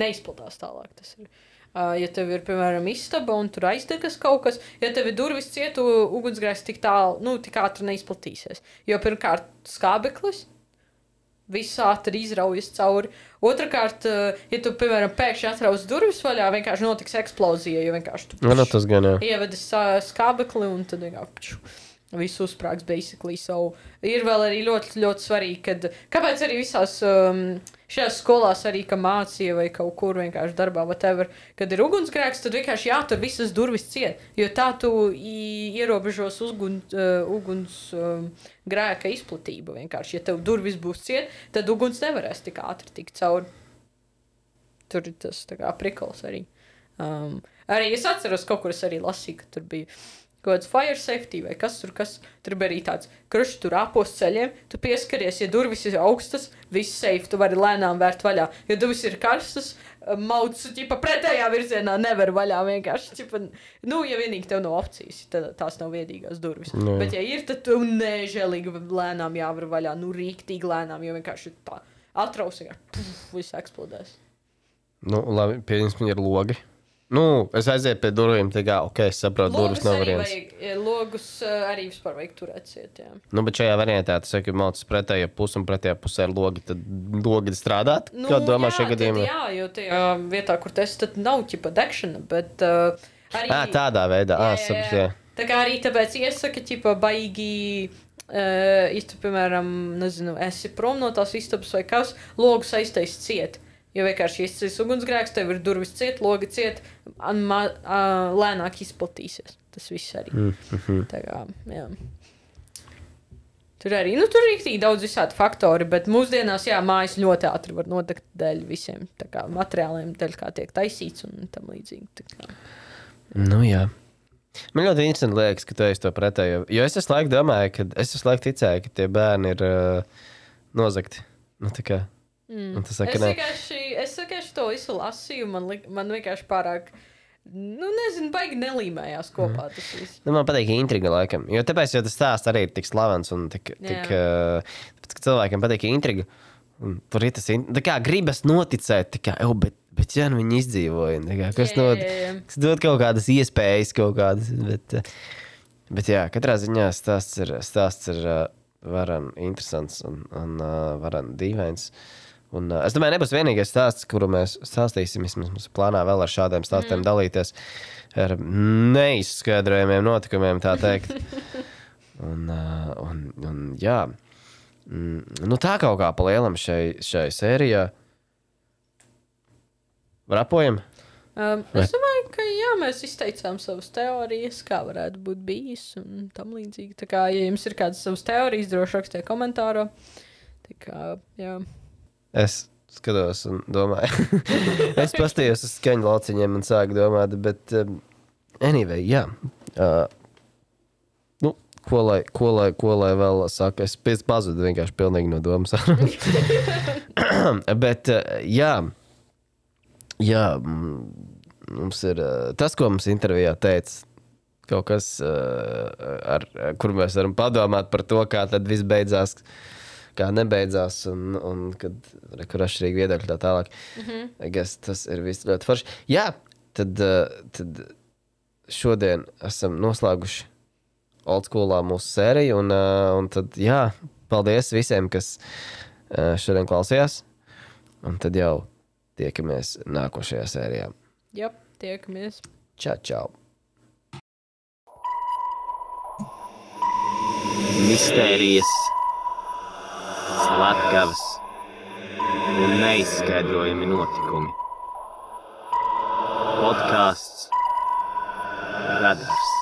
Neizplatās tālāk tas ir. Ja tev ir, piemēram, istaba un tur aizdegas kaut kas, ja tev ir durvis cietu, ugunsgrēks tik tālu, tik ātri neizplatīsies. Jo pirmkārt skābeklis, viss ātri izraujas cauri. Otrakārt, ja tu, piemēram, pēkšņi atrauc durvis vaļā, vienkārši notiks eksplozija, jo vienkārši tu tas gan, jā. Ievedi skābekli un tad vienkārši visu uzsprāgs basically. So, ir vēl arī ļoti, ļoti svarīgi, kāpēc arī visās šajās skolās arī, ka mācīja vai kaut kur vienkārši darbā, whatever, kad ir ugunsgrēks, tad vienkārši jātur visas durvis ciet, jo tā tu ierobežos uguns grēka izplatību vienkārši. Ja tev durvis būs ciet, tad uguns nevarēs tik ātri tikt cauri. Tur ir tas tā kā prikols arī. Arī es atceros, kaut kur es arī lasīju, ka tur bija kaut kāds fire safety vai kas tur bija arī tāds krušs tur āpos ceļiem, tu pieskaries, ja durvis ir augstas, viss safe, tu vari lēnām vērt vaļā. Ja durvis ir karstas, mauts, pretējā virzienā nevar vaļā vienkārši, ja vienīgi tev nav opcijas, tad tās nav viedīgās durvis. No. Bet ja ir, tad tu nežēlīgi lēnām jāvar vaļā, rīktīgi lēnām, jo vienkārši tā atraus, viss eksplodēs. Labi, pieņemsim, ir logi. Es aizēju pie durvīm, es saprotu, durvis nav variants. Logus arī vispār vajag turēt ciet, jā. Bet šajā variantā, tas saka, maucas pretējā pusē un pretējā pusē ir logi, tad logi strādāt? Kā domā šajā gadījumā? Jā, jo tajā vietā, kur tas tad nav ķipa degšana, bet arī... tādā veidā, sapratu, jā. Tā kā arī tāpēc iesaka, ķipa, baigi... ja tu, piemēram, nezinu, esi prom no tās istabas vai kas, logus aiztais ciet. Jo vienkārši izcīs ugunsgrēks, tev ir durvis ciet, logi ciet, lēnāk izplatīsies. Tas viss arī. Tā kā, jā. Tur arī, tur ir rīktīgi daudz visādi faktori, bet mūsdienās, jā, mājas ļoti ātri var nodegt dēļ visiem tā kā materiāliem, dēļ kā tiek taisīts un tam līdzīgi. Tā kā. Jā. Man ļoti interesanti liekas, ka tu esi to pretējo. Jo es visu laiku domāju, es visu laiku ticēju, ka tie bērni ir nozagti. Tā kā. Es vienkārši to visu lasīju, man vienkārši pārāk, nezinu, baigi nelīmējās kopā tas viss. Man patīk intriga laikam, jo tāpēc, jo tas stāsts arī ir tik slavens un tik tāpēc, ka cilvēkiem patīk intriga, un tur ir tas, tā kā gribas noticēt, tā kā, bet jā, viņi izdzīvoja, tā kā, kas dod kaut kādas iespējas, kaut kādas, bet jā, katrā ziņā stāsts ir varan interesants un varan dīvains. Un, es domāju, nebūs vienīgais stāsts, kuru mēs stāstīsim. Mums plānā vēl ar šādiem stāstiem dalīties ar neizskaidrojumiem notikumiem, tā teikt. un jā. Tā kaut kā pa lielam šai sērijā. Rapojam? Es domāju, ka jā, mēs izteicām savas teorijas, kā varētu būt bijis un tam līdzīgi. Tā kā, ja jums ir kādas savas teorijas, droši rakstiet komentāro. Tā kā, jā. Es skatos un domāju. Es pastījos uz skaņu lauciņiem un sāku domāt, bet anyway, jā. Ko lai vēl saka? Es pazudu vienkārši pilnīgi no domas. Bet jā, mums ir tas, ko mums intervijā teica, kaut kas, kur mēs varam padomāt par to, kā tad viss beidzās, kā nebeidzās, un kad kur atšķirīgi viedokļi tā tālāk. Tas ir viss ļoti forši. Jā, tad šodien esam noslēguši oldschoolā mūsu sēriju, un tad, jā, paldies visiem, kas šodien klausījās, un tad jau tiekamies nākošajā sērijā. Jā, tiekamies. Čau. Mistērijas, slepkavas un neizskaidrojami notikumi. Podcasts Radars.